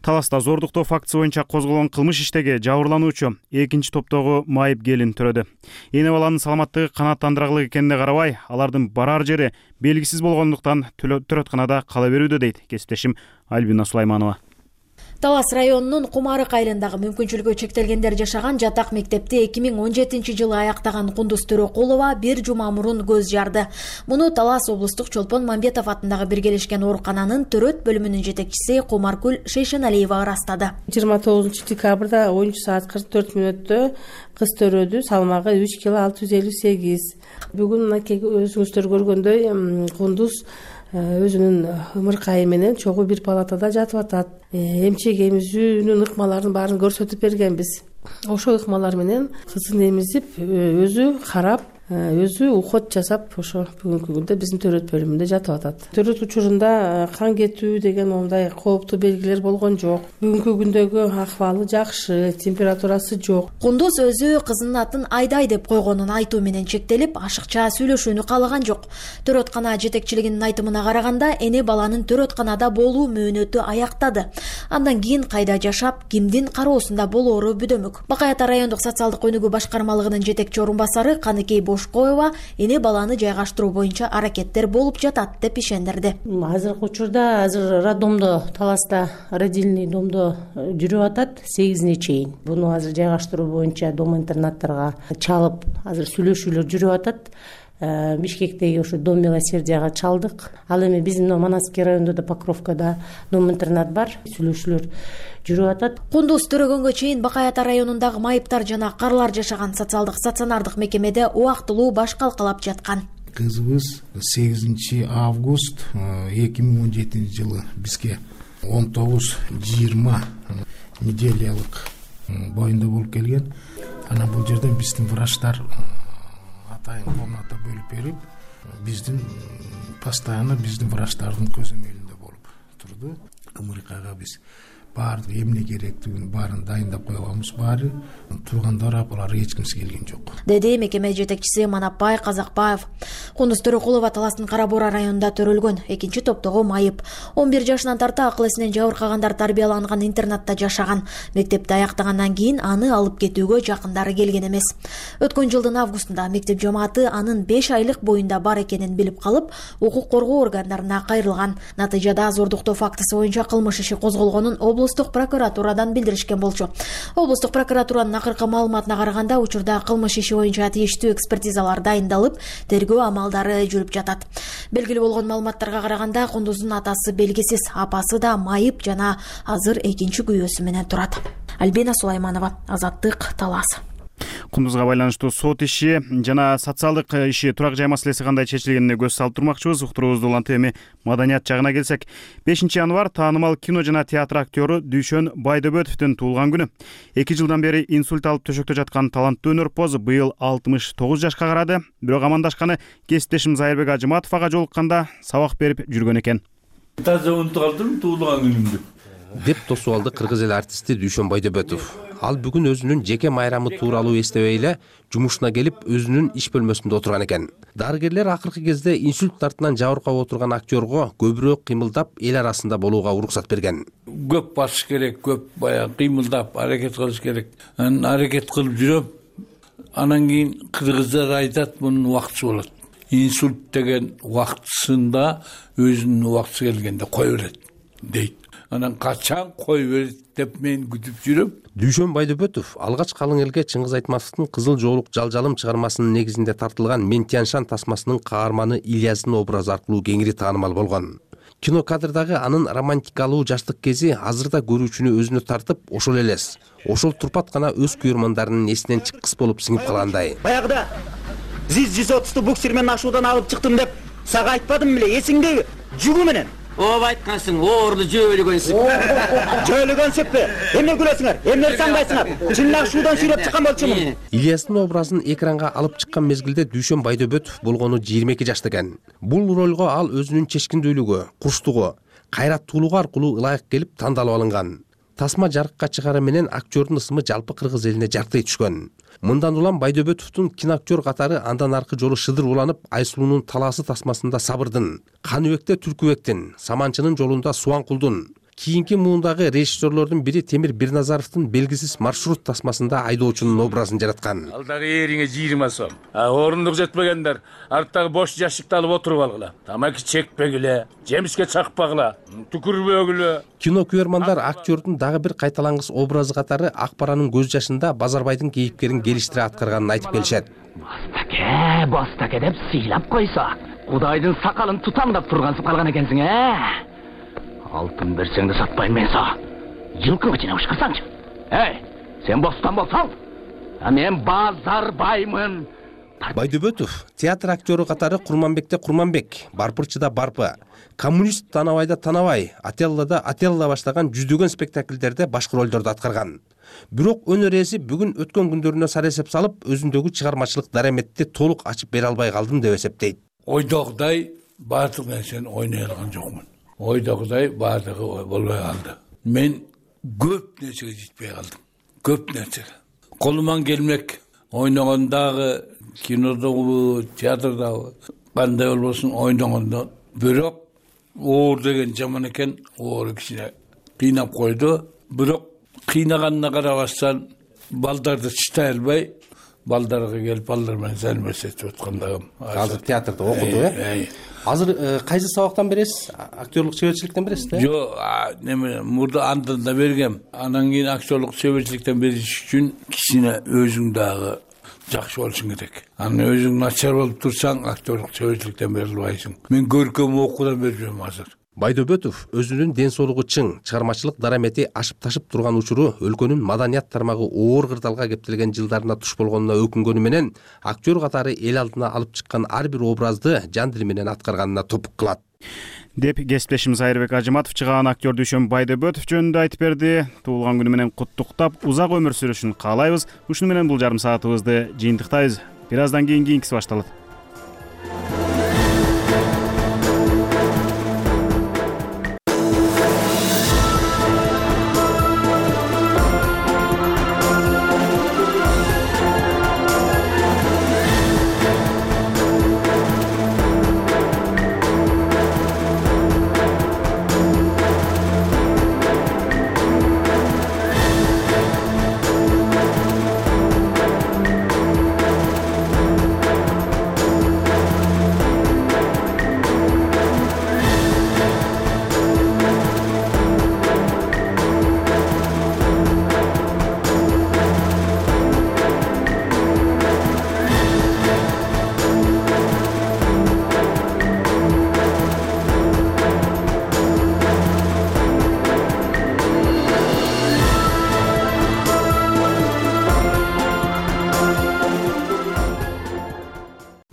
Таласта зордуктоо фактысы боюнча козголгон кылмыш иштеги жабырлануучу экинчи топтогу майып келин төрөдү. Эне баланын саламаттыгы канааттандырарлык экенине карабай, алардын барар жери белгисиз болгондуктан төрөтканада кала берүүдө дейт кесиптешим Альбина Сулайманова. Талас районунун Кумарык айылындагы мүмкүнчүлүгү чектелгендер жашаган жатак мектепти эки миң он жетинчи жылы аяктаган Кундуз Төрөкулова бир жума мурун көз жарды. Муну Талас облустук Чолпон Мамбетов атындагы биргелешкен оорукананын төрөт бөлүмүнүн жетекчиси Кумаркүл Шейшеналиева ырастады. жыйырма тогузунчу декабрда онунчу саат кырк төрт мүнөттө кыз төрөдү, салмагы үч кило алты жүз элүү сегиз. Бүгүн мынакей өзүңүздөр көргөндөй Кундуз өзүнүн ымыркайы менен чогуу бир палатада жатып атат. Эмчек эмизүүнүн ыкмаларын баарын көрсөтүп бергенбиз. Ошол ыкмалар менен кызын эмизип, өзү карап, өзү уход жасап, ошо бүгүнкү күндө биздин төрөт бөлүмүндө жатып атат. Төрөт учурунда кан кетүү деген моундай кооптуу белгилер болгон жок. Бүгүнкү күндөгү акыбалы жакшы, температурасы жок. Кундуз өзү кызынын атын Айдай деп койгонун айтуу менен чектелип, ашыкча сүйлөшүүнү каалаган жок. Төрөткана жетекчилигинин айтымына караганда, эне баланын төрөтканада болуу мөөнөтү аяктады. Андан кийин кайда жашап, кимдин кароосунда болоору бүдөмүк. Бакай Ата райондук социалдык өнүгүү башкармалыгынын жетекчи орун басары Каныкей Бошкоева эне баланы жайгаштыруу боюнча аракеттер болуп жатат деп ишендирди. Азыркы учурда азыр роддомдо, Таласта родильный домдо жүрүп атат сегизине чейин. Буну азыр жайгаштыруу боюнча дом интернаттарга чалып, азыр сүйлөшүүлөр жүрүп атат. Бишкектеги ошо дом милосердияга чалдык. Ал эми биздин Манасский районунда да, Покровкада дом интернат бар. Сүйлөшүүлөр жүрүп атат. Кундуз төрөгөнгө чейин Бакай Ата районундагы майыптар жана карлар жашаган социалдык стационардык мекемеде убактылуу баш калкалап жаткан. Кызыбыз сегизинчи август эки миң он жетинчи жылы бизге он тогуз жыйырма неделялык боюнда болуп келген. Анан бул жерден биздин врачтар атайын комната бөлүп берип, биздин постоянно биздин врачтардын көзөмөлүндө болуп турду. Ымыркайга биз баардык эмне керектигин баарын дайындап койгонбуз. Баары туугандар, апалар эч кимси келген жок, деди мекеме жетекчиси Манапбай Казакбаев. Кундуз Төрөкулова Таластын Кара Бура районунда төрөлгөн, экинчи топтогу майып. он бир жашынан тарта акыл эсинен жабыркагандар тарбияланган интернатта жашаган. Мектепти аяктагандан кийин аны алып кетүүгө жакындары келген эмес. Өткөн жылдын августунда мектеп жамааты анын беш айлык боюнда бар экенин билип калып, укук коргоо органдарына кайрылган. Натыйжада зордуктоо фактысы боюнча кылмыш иши козголгонун облус облустук прокуратурадан билдиришкен болчу. Облустук прокуратуранын акыркы маалыматына караганда учурда кылмыш иши боюнча тийиштүү экспертизалар дайындалып, тергөө амалдары жүрүп жатат. Белгилүү болгон маалыматтарга караганда Кундуздун атасы белгисиз, апасы да майып жана азыр экинчи күйөөсү менен турат. Альбина Сулайманова, Азаттык, Талас. Кундузга байланыштуу сот иши жана социалдык иши, турак жай маселеси кандай чечилгенине көз салып турмакчыбыз. Уктуруубузду улантып эми маданият жагына келсек, бешинчи январь таанымал кино жана театр актёру Дүйшөн Байдөбөтовдун туулган күнү. эки жылдан бери инсульт алып төшөктө жаткан таланттуу өнөрпоз быйыл алтымыш тогуз жашка карады. Бирок амандашканы кесиптешим Зайырбек Ажыматов ага жолукканда сабак берип жүргөн экен. Таза унутуп калдым туулган күнүмдү деп тосуп алды кыргыз эл артисти Дүйшөн Байдөбөтов. Ал бүгүн өзүнүн жеке майрамы тууралуу эстебей эле жумушуна келип өзүнүн иш бөлмөсүндө отурган экен. Дарыгерлер акыркы кезде инсульт тартынан жабыркап отурган актёрго көбүрөөк кыймылдап эл арасында болууга уруксат берген. Көп басыш керек, көп баягы кыймылдап аракет кылыш керек. Анан аракет кылып жүрөм. Анан кийин кыргыздар айтат, мунун убактысы болот. Инсульт деген убактысында өзүнүн убактысы келгенде кое берет дейт. Анан качан кой берет деп мен күтүп жүрөм. Дүйшөн Байдөбөтов алгач калың элге Чыңгыз Айтматовдун Кызыл жоолук жалжалым чыгармасынын негизинде тартылган Мен Тяньшан тасмасынын каарманы Ильяздын образы аркылуу кеңири таанымал болгон. Кинокадрдагы анын романтикалуу жаштык кези азырда көрүүчүнү өзүнө тартып, ошол элес, ошол турпат гана өз күйөрмандарынын эсинен чыккыс болуп сиңип калгандай. Баягыда зиз жүз отузду буксир менен ашуудан алып чыктым деп сага айтпадым беле, эсиңдеби? Жүгү менен. Ооба айткансың, оорлу жөөлөгөнсүң. Жөөлөгөнсүппү? Эмне күлөсүңөр? Эмне саңбайсыңар? Чынак шуудан сүйлөп чыккан болчумун. Ильястын образын экранга алып чыккан мезгилде Дүйшөн Байдөбөтов болгону жыйырма эки жашта экен. Бул ролго ал өзүнүн чечкиндүүлүгү, курчтугу, кайраттуулугу аркылуу ылайык келип тандалып алынган. Тасма жарыкка чыгары менен актёрдун ысымы жалпы кыргыз элине жаркырай түшкөн. Мындан улам Байдөбөтовдун киноактер катары андан аркы жолу шыдыр уланып, Айсулуунун талаасы тасмасында Сабырдын, Каныбекте Түркүбектин, Саманчынын жолунда Суанкулдун, кийинки муундагы режиссерлордун бири Темир Бирназаровдун Белгисиз маршрут тасмасында айдоочунун образын жараткан. Ал дагы эриңе жыйырма сом. А орундук жетпегендер арттагы бош жашыкты алып отуруп алгыла. Тамаки чекпегиле, жемишке чакпагыла, түкүрбөгүлө. Кино күйөрмандар актёрдун дагы бир кайталангыс образы катары Акбаранын көз жашында Базарбайдын кейипкерин келиштире аткарганын айтып келишет. Бастаке, бастаке деп сыйлап койсо, Кудайдын сакалын тутамдап тургансып калган экенсиң, э? Алтын берсең да сатпайм мен са. Жылкы ичине ушкырсаңчы. Эй, сен бостан болсаң, а мен Базарбаймын. Байдөбөтов театр актёру катары Курманбекте Курманбек, Барпырчыда Барпы, Коммунист Танабайда Танабай, Ателлада Ателла баштаган жүздөгөн спектакльдерде башкы ролдорду аткарган. Бирок өнөр ээси бүгүн өткөн күндөрүнө сар эсеп салып, өзүндөгү чыгармачылык дараметти толук ачып бере албай калдым деп эсептейт. Ойдогудай баардык нерсени ойной алган жокмун. Ойдогудай баардыгы болбой калды. Мен көп нерсеге жетпей калдым. Көп нерсеге. Колуман келмек, ойногондагы кинодогу, театрдагы кандай болбосун ойногондо, бирок оор деген жаман экен, оор кичине кыйнап койду. Бирок кыйнаганына карабастан балдарды чытай албай, балдарга келип балдар менен салмешетип аткандагым. Азыр театрда окуду, э? Азыр кайсы сабактан бересиз? Актерлук чеберчиликтен бересиз да? Жок, неме, мурда андан да бергем. Анан кийин актерлук чеберчиликтен бериш үчүн кичине өзүң дагы жакшы болушуң керек. Анан өзүң начар болуп турсаң, актерлук чеберчиликтен бере албайсың. Мен көркөм окуудан берип жүрөм азыр. Байдөбөтов өзүнүн ден соолугу чың, чыгармачылык дарамети ашып ташып турган учуру өлкөнүн маданият тармагы оор кырдаалга кептелген жылдарына туш болгонуна өкүнгөнү менен актер катары эл алдына алып чыккан ар бир образды жан дили менен аткарганына топук кылат. Деп кесиптешим Зайырбек Ажыматов чыган актер Дүйшөн Байдөбөтов жөнүндө айтып берди. Туулган күнү менен куттуктап, узак өмүр сүрүшүн каалайбыз. Ушуну менен бул жарым саатыбызды жыйынтыктайбыз. Бир аздан кийин кийинкиси башталат.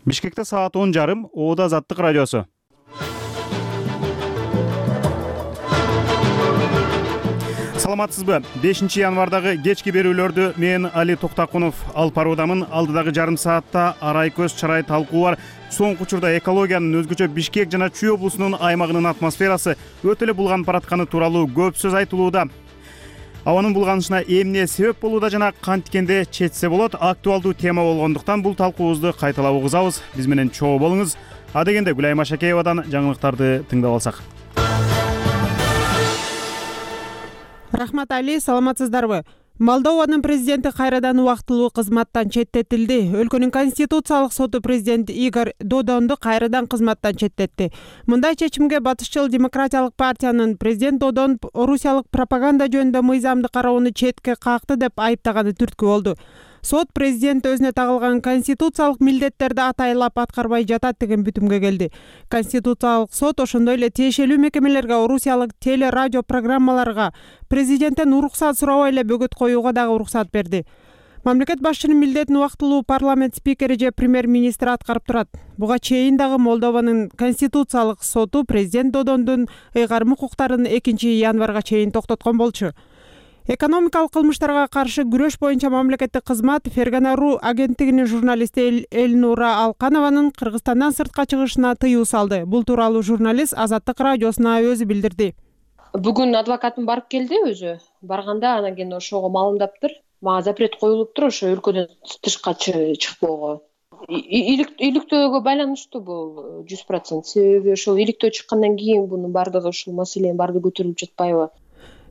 Бишкекте саат он жарым. Оода Азаттык радиосу. Саламатсызбы? бешинчи январдагы кечки берүүлөрдү мен Али Токтакунов алып баруудамын. Алдыдагы жарым саатта арай көз чарай талкуу бар. Соңку учурда экологиянын, өзгөчө Бишкек жана Чүй облусунун аймагынын атмосферасы өтө эле булганып баратканы тууралуу көп сөз айтылууда. Абанын булганышына эмне себеп болууда жана кантикенде четсе болот актуалдуу тема болгондуктан бул талкуубузду кайталап угузабыз. Биз менен чогуу болуңуз. Адегенде Гүлайым Ашакеевадан жаңылыктарды тыңдап алсак. Рахмат Али, саламатсыздарбы? Молдованын президенти кайрадан убактылуу кызматтан четтетилди. Өлкөнүн конституциялык соту президент Игорь Додонду кайрадан кызматтан четтетти. Мындай чечимге Батышчыл демократиялык партиянын президент Додон орусиялык пропаганда жөнүндө мыйзамды кароону четке какты деп айыптаганы түрткү болду. Сот президент өзүнө тагылган конституциялык милдеттерди атайлап аткарбай жатат деген бүтүмгө келди. Конституциялык сот ошондой эле тиешелүү мекемелерге, орусиялык теле радио программаларга президенттен уруксат сурабай эле бөгөт коюуга дагы уруксат берди. Мамлекет башчынын милдетин убактылуу парламент спикери же премьер-министр аткарып турат. Буга чейин дагы Молдованын конституциялык соту президент Додондун ыйгарым укуктарын экинчи январга чейин токтоткон болчу. Экономикалык кылмыштарга каршы күрөш боюнча мамлекеттик кызмат Фергана.ру агенттигинин журналисти Эльнура Алканованын Кыргызстандан сыртка чыгышына тыюу салды. Бул тууралуу журналист Азаттык радиосуна өзү билдирди. Бүгүн адвокатым барып келди өзү. Барганда анан кийин ошого маалымдаптыр. Мага запрет коюлуптур ошо өлкөдөн тышка чыкпоого. Иликтөөгө байланыштуу бул жүз процент. Себеби ошол иликтөө чыккандан кийин бунун бардыгы ушул маселенин бардыгы көтөрүлүп жатпайбы?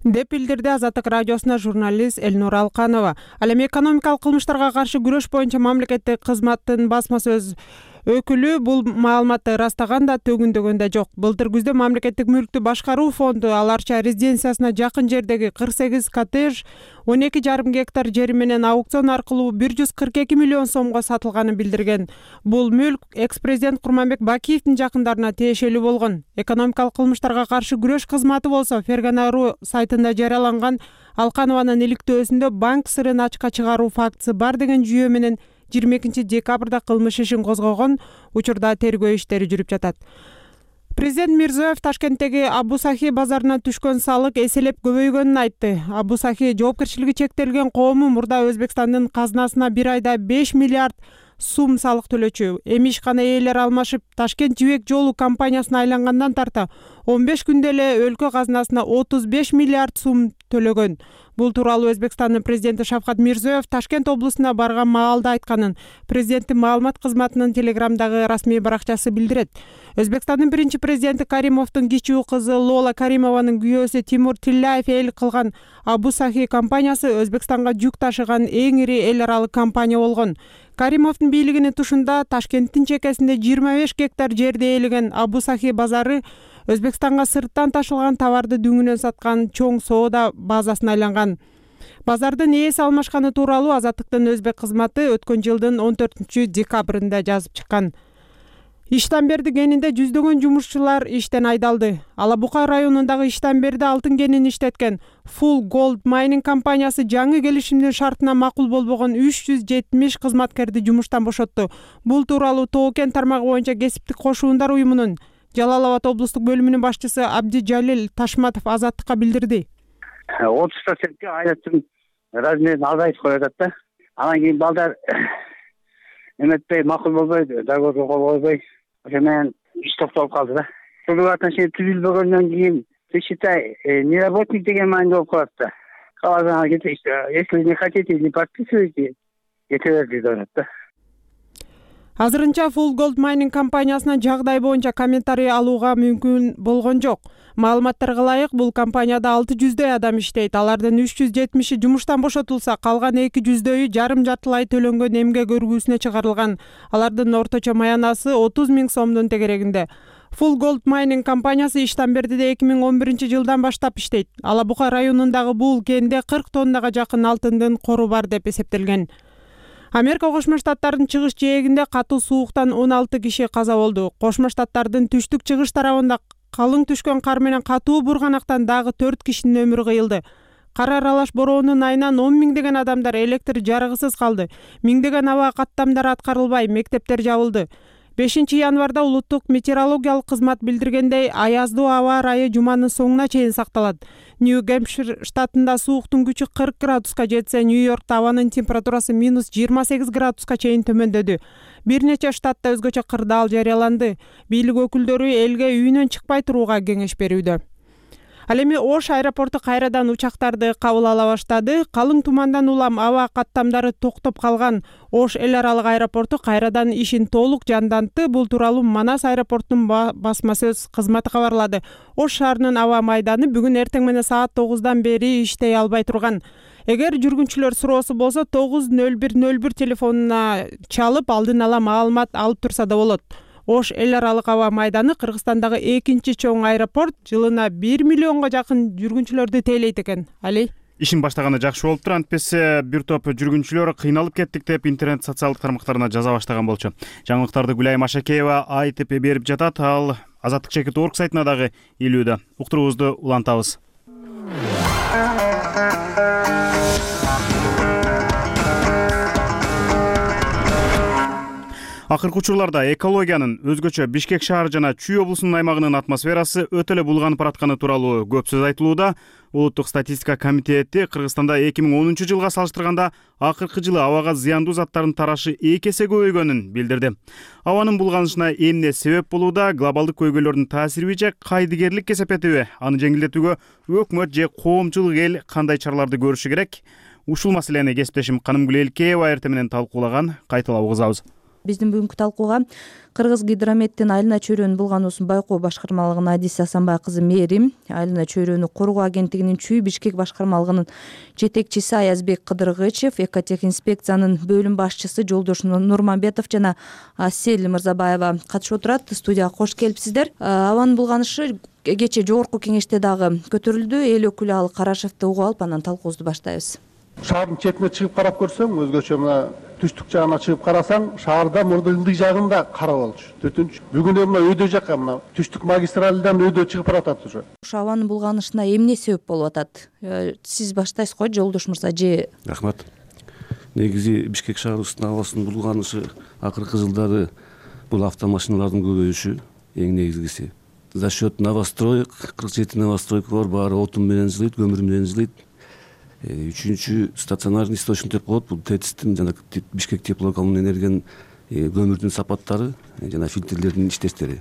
деп билдирди Азаттык радиосуна журналист Эльнура Алканова. Ал эми экономикалык кылмыштарга каршы күрөш боюнча мамлекеттик кызматтын басма сөз өкүлү бул маалыматты ырастаган да, төгүндөгөн да жок. Былтыр күздө мамлекеттик мүлктү башкаруу фонду Аларча резиденциясына жакын жердеги кырк сегиз коттедж, он эки жарым гектар жери менен аукцион аркылуу бир жүз кырк эки миллион сомго сатылганын билдирген. Бул мүлк экс-президент Курманбек Бакиевдин жакындарына тиешелүү болгон. Экономикалык кылмыштарга каршы күрөш кызматы болсо Фергана.ру сайтында жарыяланган Алканованын иликтөөсүндө банк сырын ачка чыгаруу фактысы бар деген жүйө менен жыйырма экинчи декабрда кылмыш ишин козгогон. Учурда тергөө иштери жүрүп жатат. Президент Мирзиёев Ташкенттеги Абу Сахи базарына түшкөн салык эселеп көбөйгөнүн айтты. Абу Сахи жоопкерчилиги чектелген коому мурда Өзбекстандын казынасына бир айда беш миллиард сум салык төлөчү. Эми ишкана ээлери алмашып, Ташкент жибек жолу компаниясына айлангандан тарта он беш күндө эле өлкө казынасына отуз беш миллиард сум төлөгөн. Бул тууралуу Өзбекстандын президенти Шавкат Мирзиёев Ташкент облусуна барган маалда айтканын президенттин маалымат кызматынын телеграмдагы расмий баракчасы билдирет. Өзбекстандын биринчи президенти Каримовдун кичүү кызы Лола Каримованын күйөөсү Тимур Тилляев эл кылган Абу Сахи компаниясы Өзбекстанга жүк ташыган эң ири эл аралык компания болгон. Каримовдун бийлигинин тушунда Ташкенттин чекесинде жыйырма беш гектар жерди ээлеген Абу Сахи базары Өзбекстанга сырттан ташылган товарды дүңүнөн саткан чоң соода базасына айланган. Базардын ээси алмашканы тууралуу Азаттыктын өзбек кызматы өткөн жылдын он төртүнчү декабрында жазып чыккан. Иштамберди кенинде жүздөгөн жумушчулар иштен айдалды. Ала Бука районундагы Иштамберди алтын кенин иштеткен Full Gold Mining компаниясы жаңы келишимдин шартына макул болбогон үч жүз жетимиш кызматкерди жумуштан бошотту. Бул тууралуу Тоо кен тармагы боюнча кесиптик кошуундар уюмунун Жалал Абад облустук бөлүмүнүн башчысы Абди Жалил Ташматов Азаттыкка билдирди. отуз процентке айнаттын размерин азайтып коюп атат да. Анан кийин балдар эметпей, макул болбой, договорго кол койбой, ошо менен иш токтолуп калды да. Трудовые отношения түзүлбөгөндөн кийин, ты считай, не работник деген маанидө болуп калат да. Калган если не хотите, не подписывайте, кете берди деп атат да. Азырынча Full Gold Mining компаниясына жагдай боюнча комментарий алууга мүмкүн болгон жок. Маалыматтарга ылайык, бул компанияда алты жүздөй адам иштейт. Алардын үч жүз жетимиши жумуштан бошотулса, калган эки жүздөйү жарым жартылай төлөнгөн эмгек өргүүсүнө чыгарылган. Алардын орточо маянасы отуз миң сомдун тегерегинде. Full Gold Mining компаниясы Иштамбердиде эки миң он биринчи жылдан баштап иштейт. Ала Бука районундагы бул кенде кырк тоннага жакын алтындын кору бар деп эсептелген. Америка Кошмо Штаттарынын чыгыш жээгинде катуу сууктан он алты киши каза болду. Кошмо Штаттардын түштүк чыгыш тарабында калың түшкөн кар менен катуу бурганактан дагы төрт кишинин өмүрү кыйылды. Кар аралаш бороонун айынан он миңдеген адамдар электр жарыгысыз калды. Миңдеген аба каттамдары аткарылбай, мектептер жабылды. бешинчи январда улуттук метеорологиялык кызмат билдиргендей, аяздуу аба ырайы жуманын соңуна чейин сакталат. Нью-Гэмпшир штатында сууктун күчү кырк градуска жетсе, Нью-Йоркто абанын температурасы минус жыйырма сегиз градуска чейин төмөндөдү. Бир нече штатта өзгөчө кырдаал жарыяланды. Бийлик өкүлдөрү элге үйүнөн чыкпай турууга кеңеш берүүдө. Ал эми Ош аэропорту кайрадан учактарды кабыл ала баштады. Калың тумандан улам аба каттамдары токтоп калган Ош эл аралык аэропорту кайрадан ишин толук жандантты. Бул тууралуу Манас аэропортунун басма сөз кызматы кабарлады. Ош шаарынын аба майданы бүгүн эртең менен саат тогуздан бери иштей албай турган. Эгер жүргүнчүлөр суроосу болсо тогуз нөл бир нөл бир телефонуна чалып алдын ала маалымат алып турса да болот. Ош эл аралык аба майданы Кыргызстандагы экинчи чоң аэропорт, жылына бир миллионго жакын жүргүнчүлөрдү тейлейт экен. Али? Ишин баштаганы жакшы болуптур, антпесе бир топ жүргүнчүлөр кыйналып кеттик деп интернет социалдык тармактарына жаза баштаган болчу. Жаңылыктарды Гүлайым Ашакеева айтып берип жатат, ал Азаттык чекит орг сайтына дагы илүүдө. Уктуруубузду улантабыз. Акыркы учурларда экологиянын, өзгөчө Бишкек шаар жана Чүй облусунун аймагынын атмосферасы өтө эле булганып баратканы тууралуу көп сөз айтылууда. Улуттук статистика комитети Кыргызстанда эки миң онунчу жылга салыштырганда акыркы жылы абага зыяндуу заттардын тарашы эки эсе көбөйгөнүн билдирди. Абанын булганышына эмне себеп болууда? Глобалдык көйгөйлөрдүн таасириби же кайдыгерлик кесепетиби? Аны жеңилдетүүгө өкмөт же коомчулук эл кандай чараларды көрүшү керек? Ушул маселени кесиптешим Канымгүл Элкеева эртең менен талкуулаган. Кайталап угузабыз. Биздин бүгүнкү талкууга Кыргыз гидрометтин Айлана чөйрөнүн булгануусун байкоо башкармалыгынын адиси Асанбай кызы Мээрим, Айлана чөйрөнү коргоо агенттигинин Чүй Бишкек башкармалыгынын жетекчиси Аязбек Кыдыргычев, экотехинспекциянын бөлүм башчысы Жолдош Нурмамбетов жана Асель Мырзабаева катышып отурат. Студияга кош келипсиздер. Абанын булганышы кечээ жогорку кеңеште дагы көтөрүлдү. Эл өкүлү Ал Карашевди угуп алып, анан талкуубузду баштайбыз. Шаардын четине чыгып карап көрсөң, өзгөчө мына түштүк жагына чыгып карасаң, шаарда мурда ылдый жагында кара болчу. Төртүнчү бүгүн мына өйдө жакка мына түштүк магистралдан өйдө чыгып баратат уже. Ушу абанын булганышына эмне себеп болуп атат? Сиз баштайсыз го, Жолдош мырза же? Рахмат. Негизи Бишкек шаарыбыздын абасынын булганышы акыркы жылдары бул автомашиналардын көбөйүшү эң негизгиси. За счет новостроек, кырк жети новостройка бар, баары отун менен жылыйт, көмүр менен жылыйт. Үчүнчү стационарный источник деп коет, бул ТЭЦтин жана Бишкек теплокомунун энергиянын көмүрдүн сапаттары жана фильтрлердин иштештери.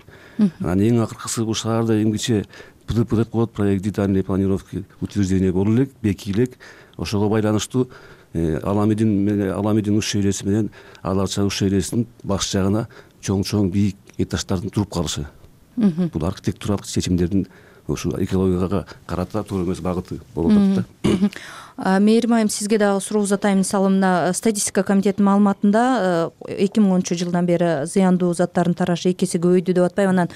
Анан эң акыркысы бул шаарда эмгиче ПДП деп коет, проект детальной планировки утверждение болуп элек, бекийлек. Ошого байланыштуу Аламидин Аламидин уш шейлеси менен Аларча уш шейлесинин баш жагына чоң-чоң бийик этаждардын туруп калышы. Бул архитектуралык чечимдердин ушу экологияга карата туура эмес багыты болуп атат да. Мээрим айым, сизге дагы суроо узатайм. Мисалы мына статистика комитетинин маалыматында эки миң онунчу жылдан бери зыяндуу заттардын тарашы эки эсе көбөйдү деп атпайбы? Анан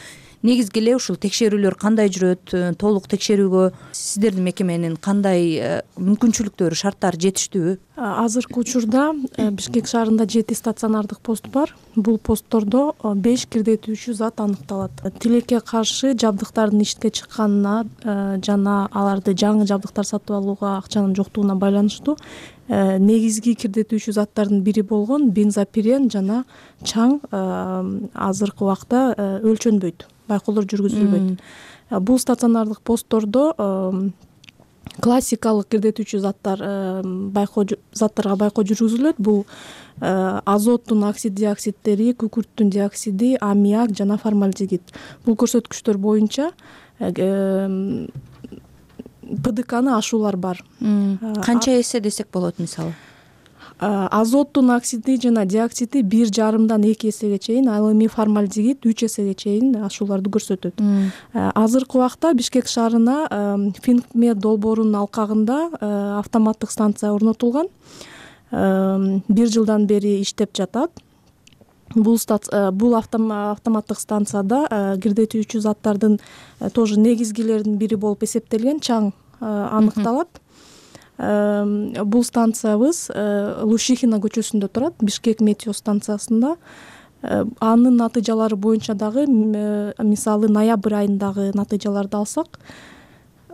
негизги эле ушул текшерүүлөр кандай жүрөт? Толук текшерүүгө сиздердин мекеменин кандай мүмкүнчүлүктөрү, шарттары жетиштүүбү? Азыркы учурда Бишкек шаарында жети стационардык пост бар. Бул посттордо беш кирдетүүчү зат аныкталат. Тилекке каршы жабдыктардын иштке чыкканына жана аларды жаңы жабдыктар сатып алууга акчанын жоктугуна байланыштуу негизги кирдетүүчү заттардын бири болгон бензопирен жана чаң азыркы убакта өлчөнбөйт, байкоолор жүргүзүлбөйт. Бул стационардык посттордо классикалык кирдетүүчү заттар байкоо заттарга байкоо жүргүзүлөт. Бул азоттун оксид диоксидтери, күкүрттүн диоксиди, аммиак жана формальдегид. Бул көрсөткүчтөр боюнча ПДКны ашуулар бар. Канча эсе десек болот мисалы? Азоттун оксиди жана диоксиди бир жарымдан эки эсеге чейин, ал эми формальдегид үч эсеге чейин ашууларды көрсөтөт. Азыркы убакта Бишкек шаарына Финкмед долбоорунун алкагында автоматтык станция орнотулган. Бир жылдан бери иштеп жатат. Бул бул автоматтык станцияда кирдетүүчү заттардын тоже негизгилеринин бири болуп эсептелген чаң аныкталат. Бул станциябыз Лушихина көчөсүндө турат, Бишкек метео станциясында. Анын натыйжалары боюнча дагы мисалы ноябрь айындагы натыйжаларды алсак,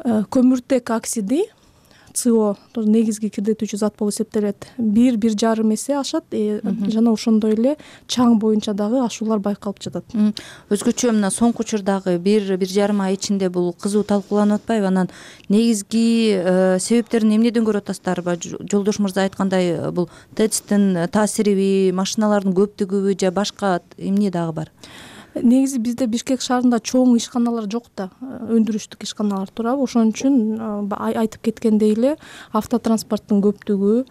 көмүртек оксиди СО негизги кирдетүүчү зат болуп эсептелет. Бир бир жарым эсе ашат жана ошондой эле чаң боюнча дагы ашуулар байкалып жатат. Өзгөчө мына соңку учурдагы бир бир жарым ай ичинде бул кызуу талкууланып атпайбы? Анан негизги себептерин эмнеден көрүп атасыздарбы? Жолдош мырза айткандай, бул тэцтин таасириби, машиналардын көптүгүбү же башка эмне дагы бар? Негизи бизде Бишкек шаарында чоң ишканалар жок да, өндүрүштүк ишканалар турабы. Ошон үчүн айтып кеткендей эле автотранспорттун көптүгү,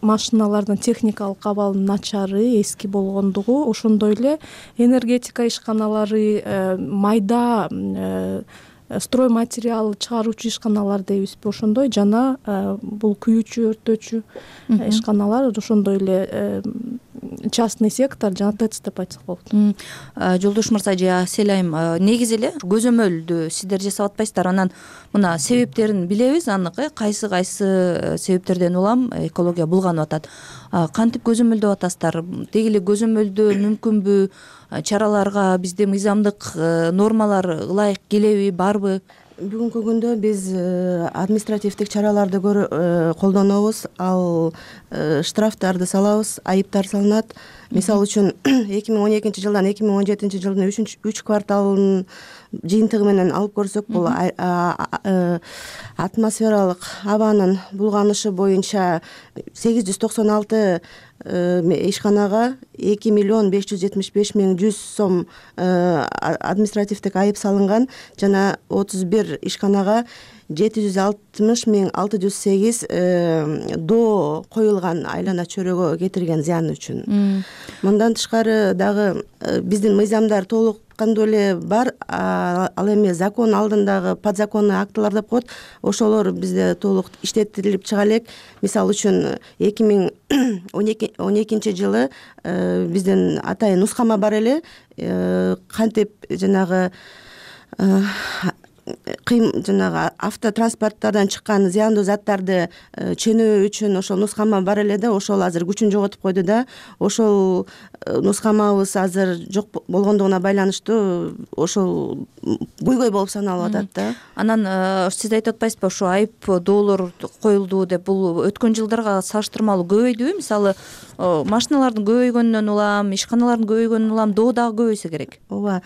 машиналардын техникалык абалынын начары, эски болгондугу, ошондой эле энергетика ишканалары, майда строй материал чыгаруучу ишканалар дейбизби, ошондой жана бул күйүүчү, өрттөөчү ишканалар, ошондой эле частный сектор жана тэц деп айтсак болот. Жолдош мырза же Аселайым, негизи эле көзөмөлдү сиздер жасап атпайсыздар, анан мына себептерин билебиз анык, кайсы кайсы себептерден улам экология булганып атат. Кантип көзөмөлдөп атасыздар? Деги эле көзөмөлдөө мүмкүнбү? Чараларга бизде мыйзамдык нормалар ылайык келеби, барбы? Бүгүнкү күндө биз административдик чараларды колдонобуз, ал штрафтарды салабыз, айыптар салынат. Мисалы үчүн эки миң он экинчи жылдан эки миң он жетинчи жылдын үч кварталынын жыйынтыгы менен алып көрсөк, бул атмосфералык абанын булганышы боюнча сегиз жүз токсон алты ишканага эки миллион беш жүз жетимиш беш миң жүз сом административдик айып салынган, жана отуз бир ишканага жети жүз алтымыш миң алты жүз сегиз доо коюлган айлана чөйрөгө кетирген зыян үчүн. Мындан тышкары дагы биздин мыйзамдар толук кандуу эле бар, ал эми закон алдындагы подзаконный актылар деп коет, ошолор бизде толук иштетилип чыга элек. Мисалы үчүн эки миң он экинчи жылы биздин атайын нускама бар эле, кантип жанагы кыйм жанагы автотранспорттардан чыккан зыяндуу заттарды ченөө үчүн ошол нускама бар эле да, ошол азыр күчүн жоготуп койду да. Ошол нускамабыз азыр жок болгондугуна байланыштуу ошол буйгой болуп саналып атат да. Анан сиз айтып атпайсызбы, ошо айып доолор коюлду деп, бул өткөн жылдарга салыштырмалуу көбөйдүбү? Мисалы, машиналардын көбөйгөнүнөн улам, ишканалардын көбөйгөнүнөн улам доо дагы көбөйсө керек. Ооба,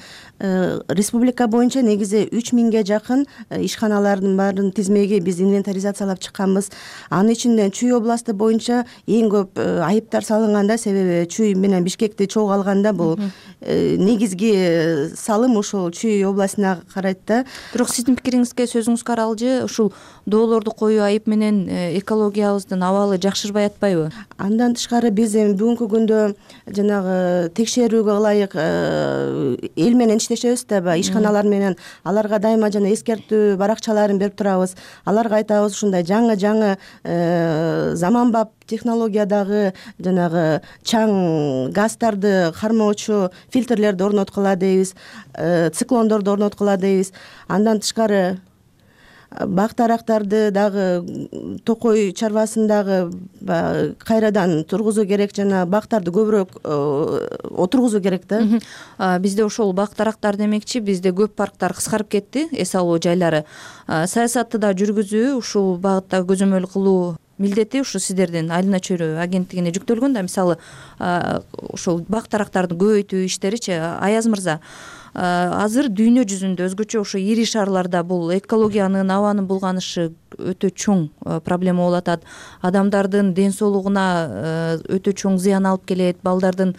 республика боюнча негизи үч миңге жакын ишканалардын баарын тизмеги биз инвентаризациялап чыкканбыз. Анын ичинде Чүй областы боюнча эң көп айыптар салынганда, себеби Чүй менен Бишкекти чогуу алганда бул негизги салым ошол Чүй областына карайт да. Бирок сиздин пикириңизге, сөзүңүзгө аралжы, ушул доолорду коюу айып менен экологиябыздын абалы жакшырбай атпайбы? Андан тышкары биз эми бүгүнкү күндө жанагы текшерүүгө ылайык эл менен иштешебиз да, ишканалар менен. Аларга дайыма жана эскертүү баракчаларын берип турабыз. Аларга айтабыз, ушундай жаңы жаңы заманбап технологиядагы жанагы чаң газдарды кармоочу фильтрлерди орноткула дейбиз, циклондорду орноткула дейбиз. Андан тышкары бак дарактарды дагы токой чарбасындагы кайрадан тургузуу керек, жана бактарды көбүрөөк отургузуу керек да. Бизде ошол бак дарактар демекчи, бизде көп парктар кыскарып кетти, эс алуу жайлары. Саясатты да жүргүзүү, ушул багытта көзөмөл кылуу милдети ушу сиздердин айлана чөйрө агенттигине жүктөлгөн да. Мисалы, ошол бак дарактарды көбөйтүү иштеричи, Аяз мырза, азыр дүйнө жүзүндө өзгөчө ошо ири шаарларда бул экологиянын, абанын булганышы өтө чоң проблема болуп атат. Адамдардын ден соолугуна өтө чоң зыян алып келет, балдардын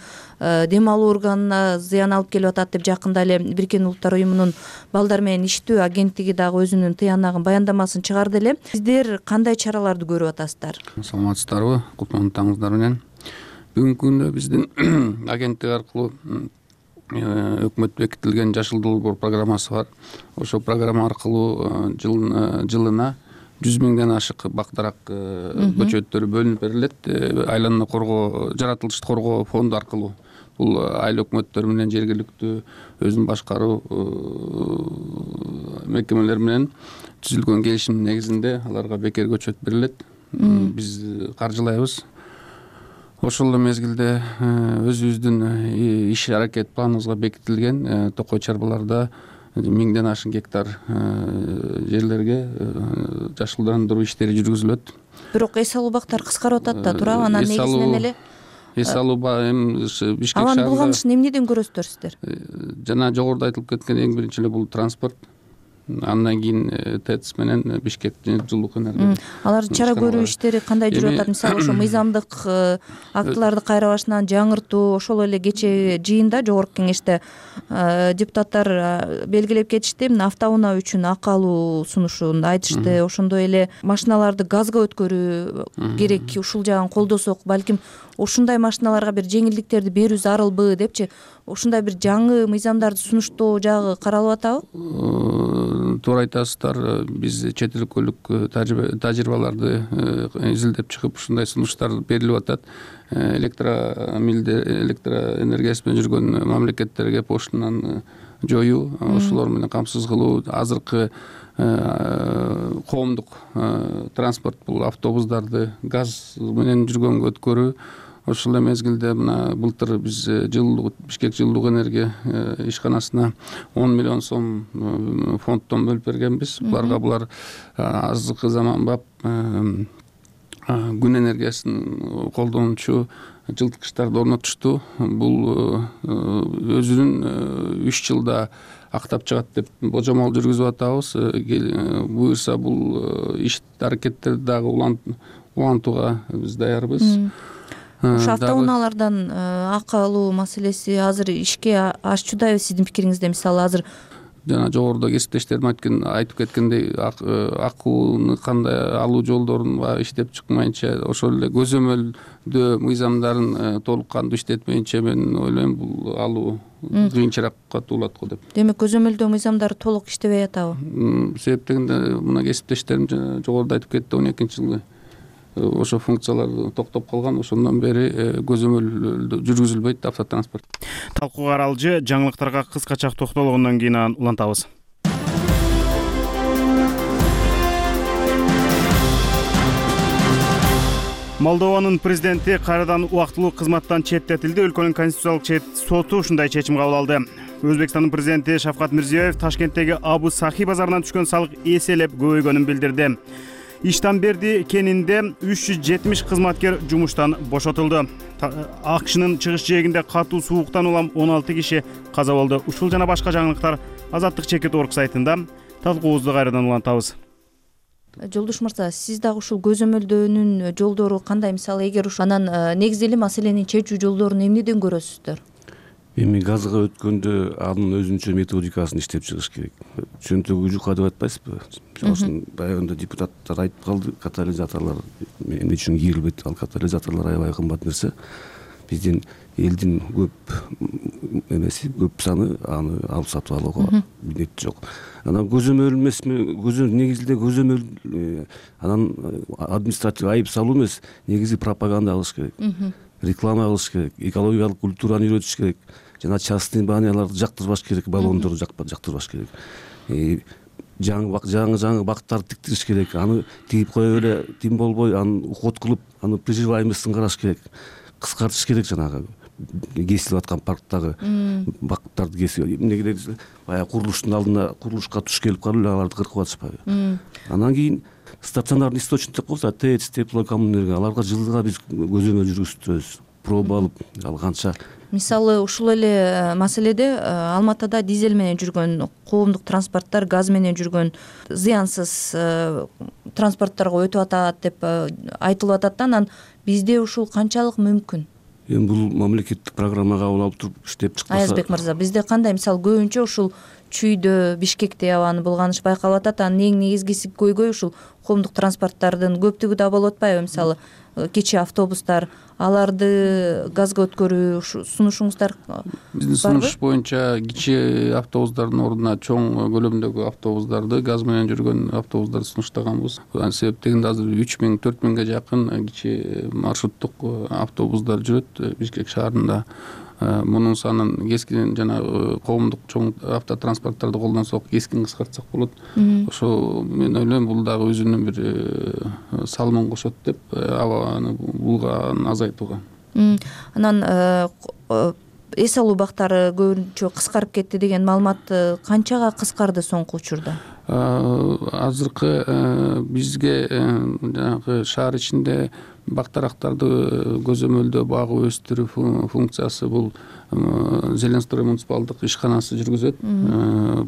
дем алуу органына зыян алып келип атат деп жакында эле Бириккен Улуттар уюмунун балдар менен иштөө агенттиги дагы өзүнүн тыянагын, баяндамасын чыгарды эле. Сиздер кандай чараларды көрүп атасыздар? Саламатсыздарбы? Кутлуу таңыңыздар менен. Бүгүнкү күндө биздин агенттик аркылуу өкмөт бекитилген Жашыл долбоор программасы бар. Ошол программа аркылуу жылына жүз миңден ашык бак дарак көчөттөрү бөлүнүп берилет. Айлананы коргоо, жаратылышты коргоо фонду аркылуу. Бул айыл өкмөттөр менен жергиликтүү өзүн башкаруу мекемелер менен түзүлгөн келишимдин негизинде аларга бекер көчөт берилет. Биз каржылайбыз. Ошол эле мезгилде өзүбүздүн иш аракет планыбызга бекитилген токой чарбаларда миңден ашын гектар жерлерге жашылдандыруу иштери жүргүзүлөт. Бирок эс алуу бактар кыскарып атат да туурабы? Анан негизинен эле эс алуу эми Бишкек шаарында анын булганышын эмнеден көрөсүздөр сиздер? Жана жогоруда айтылып кеткен эң биринчи эле бул транспорт, андан кийин ТЭЦ менен Бишкек жылуулук энергия. Алар чара көрүү иштери кандай жүрүп атат? Мисалы ошо мыйзамдык актыларды кайра башынан жаңыртуу, ошол эле кечээ жыйында жогорку кеңеште депутаттар белгилеп кетишти. Мына автоунаа үчүн акы алуу сунушун айтышты. Ошондой эле машиналарды газга өткөрүү керек, ушул жагын колдосок, балким ушундай машиналарга бир жеңилдиктерди берүү зарылбы депчи, ушундай бир жаңы мыйзамдарды сунуштоо жагы каралып атабы? Туура айтасыздар. Биз чет өлкөлүк тажрыйбаларды изилдеп чыгып ушундай сунуштар берилип атат. Электромилде электроэнергиясы менен жүргөн мамлекеттерге поштанан жоюу, ошолор менен камсыз кылуу. Азыркы коомдук транспорт бул автобустарды газ менен жүргөнгө өткөрүү. Ошол эле мезгилде мына былтыр биз жылуулук Бишкек жылуулук энергия ишканасына он миллион сом фонддон бөлүп бергенбиз. Буларга булар азыркы заманбап күн энергиясын колдонуучу жылыткычтарды орнотушту. Бул өзүнүн үч жылда актап чыгат деп божомол жүргүзүп атабыз. Буюрса бул иш аракеттерди дагы улантууга биз даярбыз. Ошо автоунаалардан акы алуу маселеси азыр ишке ашчудайбы сиздин пикириңизде? Мисалы азыр жана жогоруда кесиптештерим айтып кеткендей, акууну кандай алуу жолдорун иштеп чыкмайынча, ошол эле көзөмөлдөө мыйзамдарын толук кандуу иштетмейинче мен ойлойм бул алуу кыйынчыраакка туулат го деп. Демек көзөмөлдөө мыйзамдары толук иштебей атабы? Себеп дегенде мына кесиптештерим жогоруда айтып кетти, он экинчи жылы ошо функциялар токтоп калган, ошондон бери көзөмөл жүргүзүлбөйт автотранспорт. Талкууга аралжы жаңылыктарга кыскача токтолгондон кийин анан улантабыз. Молдованын президенти кайрадан убактылуу кызматтан четтетилди. Өлкөнүн конституциялык соту ушундай чечим кабыл алды. Өзбекстандын президенти Шавкат Мирзиёев Ташкенттеги Абу Сахи базарынан түшкөн салык эселеп көбөйгөнүн билдирди. Иштанберди кенинде үч жүз жетимиш кызматкер жумуштан бошотулду. АКШнын чыгыш жээгинде катуу сууктан улам он алты киши каза болду. Ушул жана башка жаңылыктар Азаттык чекит орг сайтында. Талкуубузду кайрадан улантабыз. Жолдош мырза, сиз дагы ушул көзөмөлдөөнүн жолдору кандай? Мисалы эгер ушу анан негизи эле маселени чечүү жолдорун эмнеден көрөсүздөр? Эми газга өткөндө анын өзүнчө методикасын иштеп чыгыш керек. Чөнтөгү жука деп айтпайсызбы? Ошон баягында депутаттар айтып калды, катализаторлор эмне үчүн кийрилбейт? Ал катализаторлор аябай кымбат нерсе. Биздин элдин көп эмеси, көп саны аны алып сатып алууга милдет жок. Анан көзөмөл эмесми? Көзөмөл негизинде көзөмөл анан административ айып салуу эмес, негизи пропаганда кылыш керек. Реклама кылыш керек, экологиялык культураны үйрөтүш керек, жана частный баняларды жактырбаш керек, баллондорду жактырбаш керек. Жаңы жаңы жаңы бактарды тиктириш керек, аны тигип коюп эле тим болбой, аны уход кылып, аны приживаемостун караш керек, кыскартыш керек. Жанагы кесилип аткан парктагы бактарды кесип, эмнеге десе, баягы курулуштун алдына курулушка туш келип калып эле аларды кыркып атышпайбы? Андан кийин стационарный источник деп коебуз, ТЭЦ, теплокоммунэнергия, аларга жылга биз көзөмөл жүргүзүбүз, проба алып, ал канча. Мисалы ушул эле маселеде Алматыда дизель менен жүргөн коомдук транспорттор, газ менен жүргөн зыянсыз транспорттторго өтүп атат деп айтылып атат да, анан бизде ушул канчалык мүмкүн? Эми бул мамлекеттик программа кабыл алып туруп иштеп чыкпаса. Аязбек мырза, бизде кандай? Мисалы көбүнчө ушул Чүйдө, Бишкекте абаны булганыш байкалып атат. Анын эң негизгиси көйгөй ушул коомдук транспорттордун көптүгү да болуп атпайбы? Мисалы кечээ автобустар, аларды газга өткөрүү сунушуңуздар барбы? Биздин сунуш боюнча кичээ автобустардын ордуна чоң көлөмдөгү автобустарды, газ менен жүргөн автобустарды сунуштаганбыз. Себеп дегенде азыр үч миң төрт миңге жакын кичээ маршруттук автобустар жүрөт Бишкек шаарында. Мунун санын кескин жана коомдук чоң автотранспорттарды колдонсок, кескин кыскартсак болот. Ошо мен ойлойм, бул дагы өзүнүн бир салымын кошот деп, абаны булганы азайтууга. Анан эс алуу бактары көбүнчө кыскарып кетти деген маалымат канчага кыскарды соңку учурда? Азыркы бизге жанагы шаар ичинде бактарактарды көзөмөлдөө, багып өстүрүү функциясы бул Зеленстрой муниципалдык ишканасы жүргүзөт.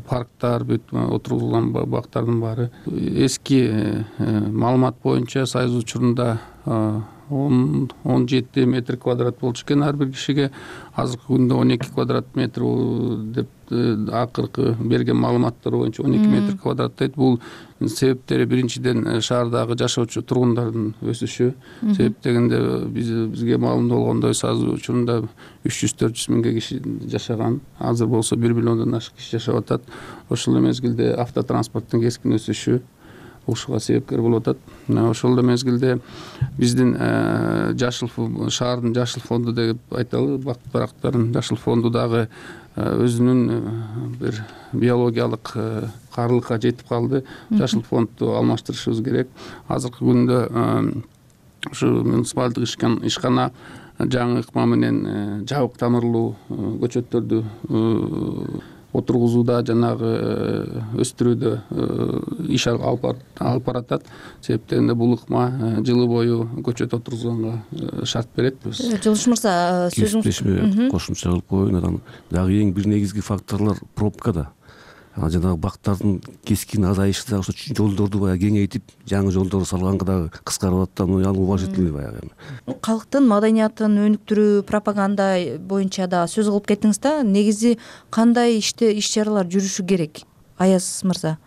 Парктар, бүт отургузулган бактардын баары эски маалымат боюнча Союз учурунда он жети метр квадрат болчу экен ар бир кишиге. Азыркы күндө он эки квадрат метр деп акыркы берген маалыматтар боюнча он эки метр квадраттайт. Бул себептери биринчиден шаардагы жашоочу тургундардын өсүшү. Себеп дегенде бизге маалым болгондой Союз учурунда үч жүз төрт жүз миңге киши жашаган. Азыр болсо бир миллиондон ашык киши жашап атат. Ошол мезгилде автотранспорттун кескин өсүшү ушуга себепкер болуп атат. Ошол эле мезгилде биздин жашыл шаардын жашыл фонду деп айталы, бак-барактардын жашыл фонду дагы өзүнүн бир биологиялык каарылыкка жетип калды. Жашыл фондду алмаштырышыбыз керек. Азыркы күндө ушу муниципалдык ишкана жаңы ыкма менен жабык тамырлуу көчөттөрдү отургузууда, жанагы өстүрүүдө иш алып баратат. Себеп дегенде бул ыкма жылы бою көчөт отургузганга шарт берет. Жылыш мырза, сөзүңүз кошумча кылып коеюн. Анан дагы эң бир негизги факторлор пробкада. Жанагы бактардын кескин азайышы дагы ошо жолдорду баягы кеңейтип, жаңы жолдор салганга дагы кыскарып атат. Муну ал уважительный баягы. Калктын маданиятын өнүктүрүү, пропаганда боюнча да сөз кылып кеттиңиз да. Негизи кандай иште иш-чаралар жүрүшү керек, Аяз мырза?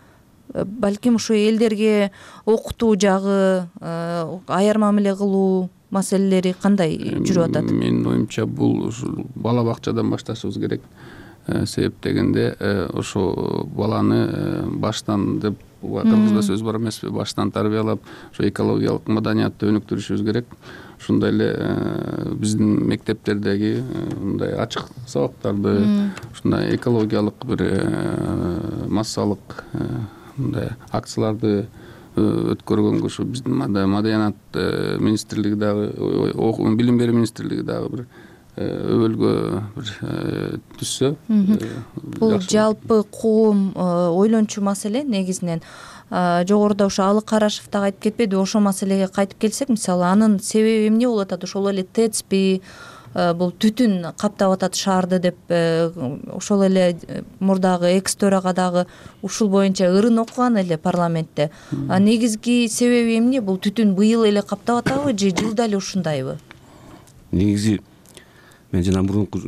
Балким ушу элдерге окутуу жагы, аяр мамиле кылуу маселелери кандай жүрүп атат? Менин оюмча бул бала бакчадан башташыбыз керек. Себеп дегенде ошо баланы баштан деп кыргызда сөз бар эмеспи, баштан тарбиялап, ошо экологиялык маданиятты өнүктүрүшүбүз керек. Ушундай эле биздин мектептердеги мындай ачык сабактарды, ушундай экологиялык бир массалык мындай акцияларды өткөргөнгө ушу биздин маданият министрлиги дагы, билим берүү министрлиги дагы бир өбөлгө бир түшсө. Бул жалпы коом ойлончу маселе негизинен. Жогоруда ошо Алык Карашев дагы айтып кетпеди, ошол маселеге кайтып келсек, мисалы анын себеби эмне болуп атат? Ошол эле ТЭЦпи, бул түтүн каптап атат шаарды деп, ошол эле мурдагы экс төрага дагы ушул боюнча ырын окуган эле парламентте. Негизги себеби эмне? Бул түтүн быйыл эле каптап атабы же жылда эле ушундайбы? Негизи мен жана мурунку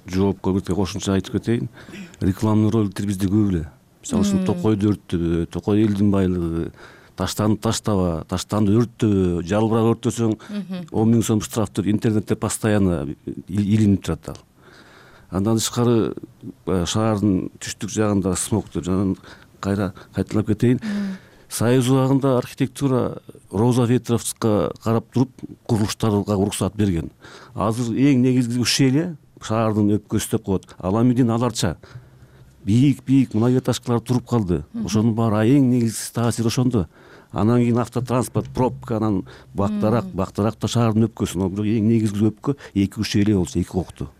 жоопко бир кошумча айтып кетейин. Рекламный роликтер бизде көп эле. Мисалы үчүн Токойду өрттөбө, Токой элдин байлыгы, таштанды таштаба, таштанды өрттөбө, жалбырак өрттөсөң он миң сом штраф деп интернетте постоянно илинип турат ал. Андан тышкары шаардын түштүк жагында смог деп жана кайра кайталап кетейин. Союз убагында архитектура Роза Ветровскага карап туруп курулуштарга уруксат берген. Азыр эң негизги ушул эле шаардын өпкөсү деп коет. Ал эмнеден аларча бийик-бийик многоэтажкалар туруп калды. Ошонун баары эң негизги таасир ошондо. Анан кийин автотранспорт, пробка, анан бактарак, бактарак да шаардын өпкөсү. Бирок эң негизги өпкө эки үч эле болчу, эки кокту.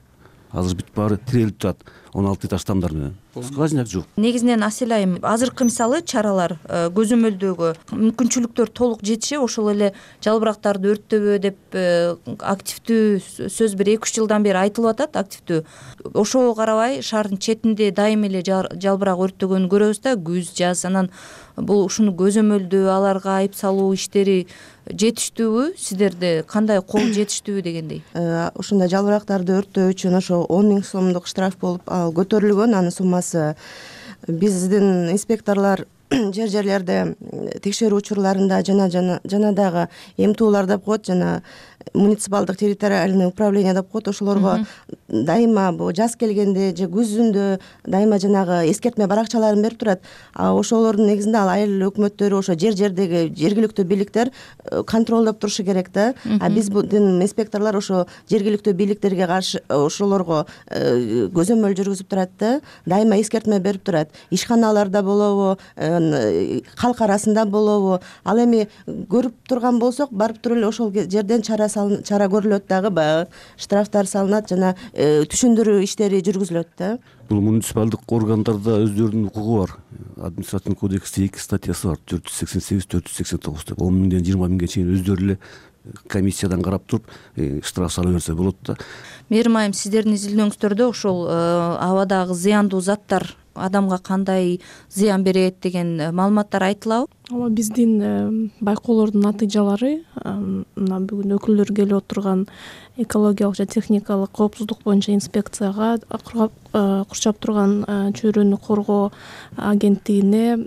Азыр бүт баары тирелип турат он алты этаж тамдар менен. Скважина жок. Негизинен Асель айым, азыркы мисалы чаралар көзөмөлдөгө мүмкүнчүлүктөр толук жетиши, ошол эле жалбырактарды өрттөбө деп активдүү сөз бир эки үч жылдан бери айтылып атат, активдүү. Ошого карабай шаардын четинде дайыма эле жалбырак өрттөгөнүн көрөбүз да, күз, жаз. Анан бул ушуну көзөмөлдөө, аларга айып салуу иштери жетиштүүбү? Сиздерде кандай кол жетиштүүбү дегендей? Ушундай жалбырактарды өрттөө үчүн ошо он миң сомдук штраф болуп көтөрүлгөн. Анын суммасы биздин инспекторлор жер жерлерде текшерүү учурларында жана жана дагы эмтуулар деп коет, жана муниципалдык территориальный управление деп коет. Ошолорго дайыма жаз келгенде же күзүндө дайыма жанагы эскертме баракчаларын берип турат. А ошолордун негизинде ал айыл өкмөттөрү, ошо жер жердеги жергиликтүү бийликтер контролдоп турушу керек да. А биздин инспекторлор ошо жергиликтүү бийликтерге каршы ошолорго көзөмөл жүргүзүп турат да, дайыма эскертме берип турат. Ишканаларда болобу, калк арасында болобу, ал эми көрүп турган болсок барып туруп эле ошол жерден чара чара көрүлөт, дагы баягы штрафтар салынат жана түшүндүрүү иштери жүргүзүлөт да. Бул муниципалдык органдарда өздөрүнүн укугу бар. Административдик кодексте эки статьясы бар: төрт жүз сексен сегиз, төрт жүз сексен тогуз деп. он миңден жыйырма миңге чейин өздөрү эле комиссиядан карап туруп штраф сала берсе болот да. Мээрим айым, сиздердин изилдөөңүздөрдө ошол абадагы зыяндуу заттар адамга кандай зыян берет деген маалыматтар айтылабы? ооба, биздин байкоолордун натыйжалары мына бүгүн өкүлдөр келип отурган экологиялык жана техникалык коопсуздук боюнча инспекцияга, курчап турган чөйрөнү коргоо агенттигине,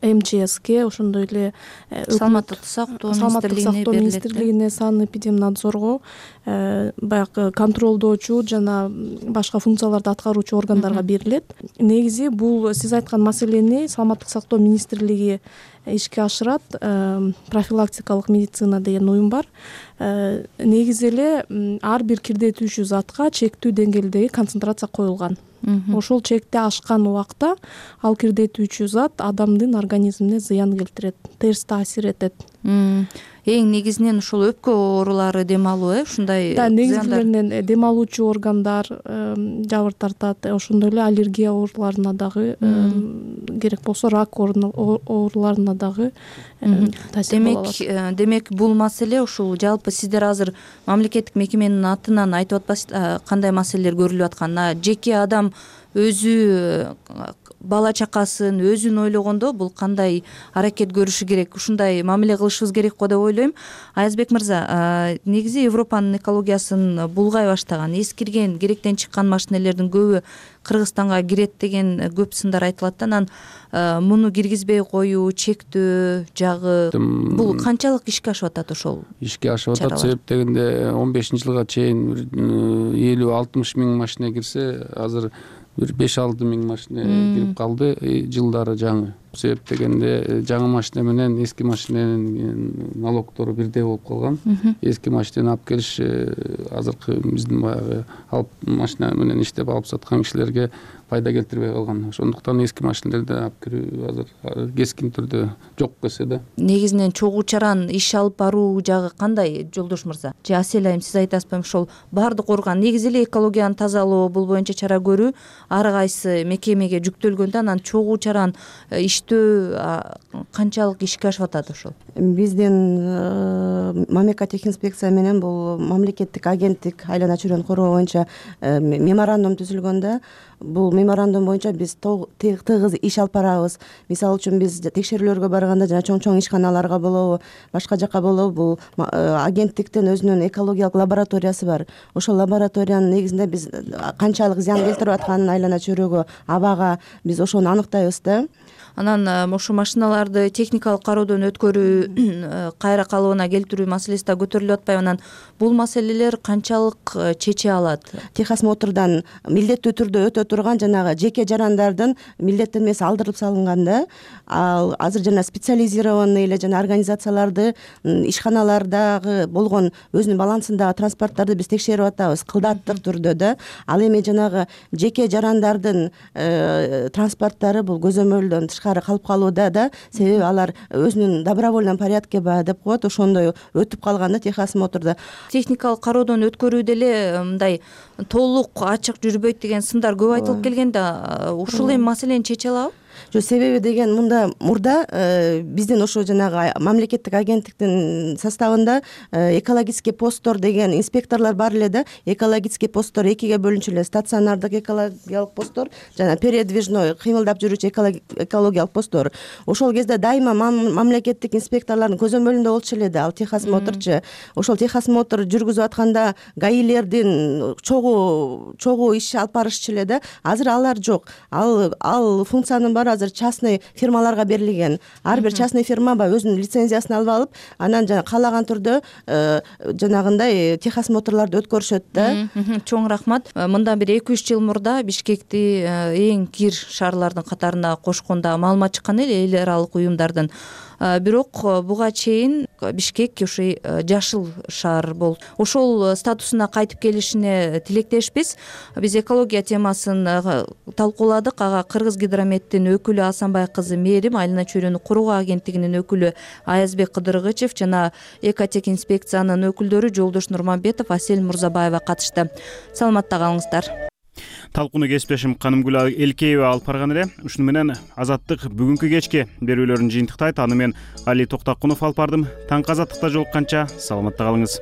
эм че эске, ошондой эле саламаттыкты сактоо министрлигине, санэпидемнадзорго, баягы контролдоочу жана башка функцияларды аткаруучу органдарга берилет. Негизи бул сиз айткан маселени саламаттык сактоо министрлиги ишке ашырат. Профилактикалык медицина деген уюм бар. Негизи эле ар бир кирдетүүчү затка чектүү деңгээлдеги концентрация коюлган. Ошол чекти ашкан убакта ал кирдетүүчү зат адамдын организмине зыян келтирет, терс таасир этет. Эң негизинен ушул өпкө оорулары дем алуу, э, ушундай да, негизгилеринен дем алуучу органдар жабыр тартат, ошондой эле аллергия ооруларына дагы, керек болсо рак ооруларына дагы таасир боло алат. Демек бул маселе ушул жалпы сиздер азыр мамлекеттик мекеменин атынан айтып атпайсыздар кандай маселелер көрүлүп атканын? Жеке адам өзү бала чакасын өзүн ойлогондо бул кандай аракет көрүшү керек, ушундай мамиле кылышыбыз керек го деп ойлойм. Аязбек мырза, негизи Европанын экологиясын булгай баштаган, эскирген, керектен чыккан машинелердин көбү Кыргызстанга кирет деген көп сындар айтылат да. Анан муну киргизбей коюу, чектөө жагы бул канчалык ишке ашып атат ошол? Ишке ашып атат, себеп дегенде он бешинчи жылга чейин элүү алтымыш миң машина кирсе, азыр бир беш алты миң машина кирип калды жылдары жаңы. Себеп дегенде жаңы машина менен эски машинанын налогтору бирдей болуп калган. Эски машинаны алып келиш азыркы биздин баягы алып машина менен иштеп алып саткан кишилерге пайда келтирбей калган. Ошондуктан эски машинелерди алып кирүү азыр кескин түрдө жок кесе да. Негизинен чогуу чаран иш алып баруу жагы кандай, Жолдош мырза? Же Асель айым, сиз айтасызбы? Ошол баардык орган негизи эле экологияны тазалоо, бул боюнча чара көрүү ар кайсы мекемеге жүктөлгөндө, анан чогуу чаран иштөө канчалык ишке ашып атат ошол? Биздин Мамека техинспекция менен бул мамлекеттик агенттик айлана чөйрөнү коргоо боюнча меморандум түзүлгөн да. Бул меморандум боюнча биз тыгыз иш алып барабыз. Мисалы үчүн биз текшерүүлөргө барганда жана чоң-чоң ишканаларга болобу, башка жака болобу, бул агенттиктин өзүнүн экологиялык лабораториясы бар. Ошол лабораториянын негизинде биз канчалык зыян келтирип атканын айлана чөйрөгө, абага биз ошону аныктайбыз да. Анан ошо машиналарды техникалык кароодон өткөрүү, кайра калыбына келтирүү маселеси да көтөрүлүп атпайбы? Анан бул маселелер канчалык чече алат? Техосмотрдан милдеттүү түрдө өтө турган жанагы жеке жарандардын милдеттенмеси алдырылып салынган да. Ал азыр жана специализированный эле жана организацияларды, ишканалардагы болгон өзүнүн балансындагы транспорттарды биз текшерип атабыз кылдаттык түрдө да. Ал эми жанагы жеке жарандардын транспорттары бул көзөмөлдөн тышкары калып калууда да, себеби алар өзүнүн добровольном порядке баягы деп коет, ошондой өтүп калган да техосмотрдо. Техникалык кароодон өткөрүү деле мындай толук ачык жүрбөйт деген сындар көп айтылып келген да. Ушул эми маселени чече алабы? Жок, себеби деген мында мурда биздин ошо жанагы мамлекеттик агенттиктин составында экологический посттор деген инспекторлор бар эле да. Экологический посттор экиге бөлүнчү, стационардык экологиялык посттор жана передвижной кыймылдап жүрүүчү экологиялык посттор. Ошол кезде дайыма мамлекеттик инспекторлордун көзөмөлүндө болчу эле да ал техосмотрчу. Ошол техосмотр жүргүзүп атканда гаилердин чогуу чогуу иш алып барышчу эле да. Азыр алар жок. Ал ал функциянын баары азыр частный фирмаларга берилген. Ар бир частный фирма баягы өзүнүн лицензиясын алып алып, анан жана каалаган түрдө жанагындай техосмотрларды өткөрүшөт да. Чоң рахмат. Мындан бир эки үч жыл мурда Бишкекти эң кир шаарлардын катарына кошкондо маалымат чыккан эле эл аралык уюмдардын. бирок буга чейин Бишкек ушул жашыл шаар болду. Ошол статусуна кайтып келишине тилектешпиз. Биз экология темасын талкууладык. Ага Кыргыз Гидрометтин өкүлү Асанбай кызы Мээрим, Айлана чөйрөнү куруу агенттигинин өкүлү Аязбек Кыдыргычев жана Экотек инспекциянын өкүлдөрү Жолдош Нурманбетов, Асель Мурзабаева катышты. Саламатта калыңыздар. Талкууну кесиптешим Канымгүл Элкеева алып барган эле. Ушуну менен Азаттык бүгүнкү кечки берүүлөрүн жыйынтыктайт. Аны мен Али Токтакунов алып бардым. Таңкы Азаттыкта жолукканча саламатта калыңыз.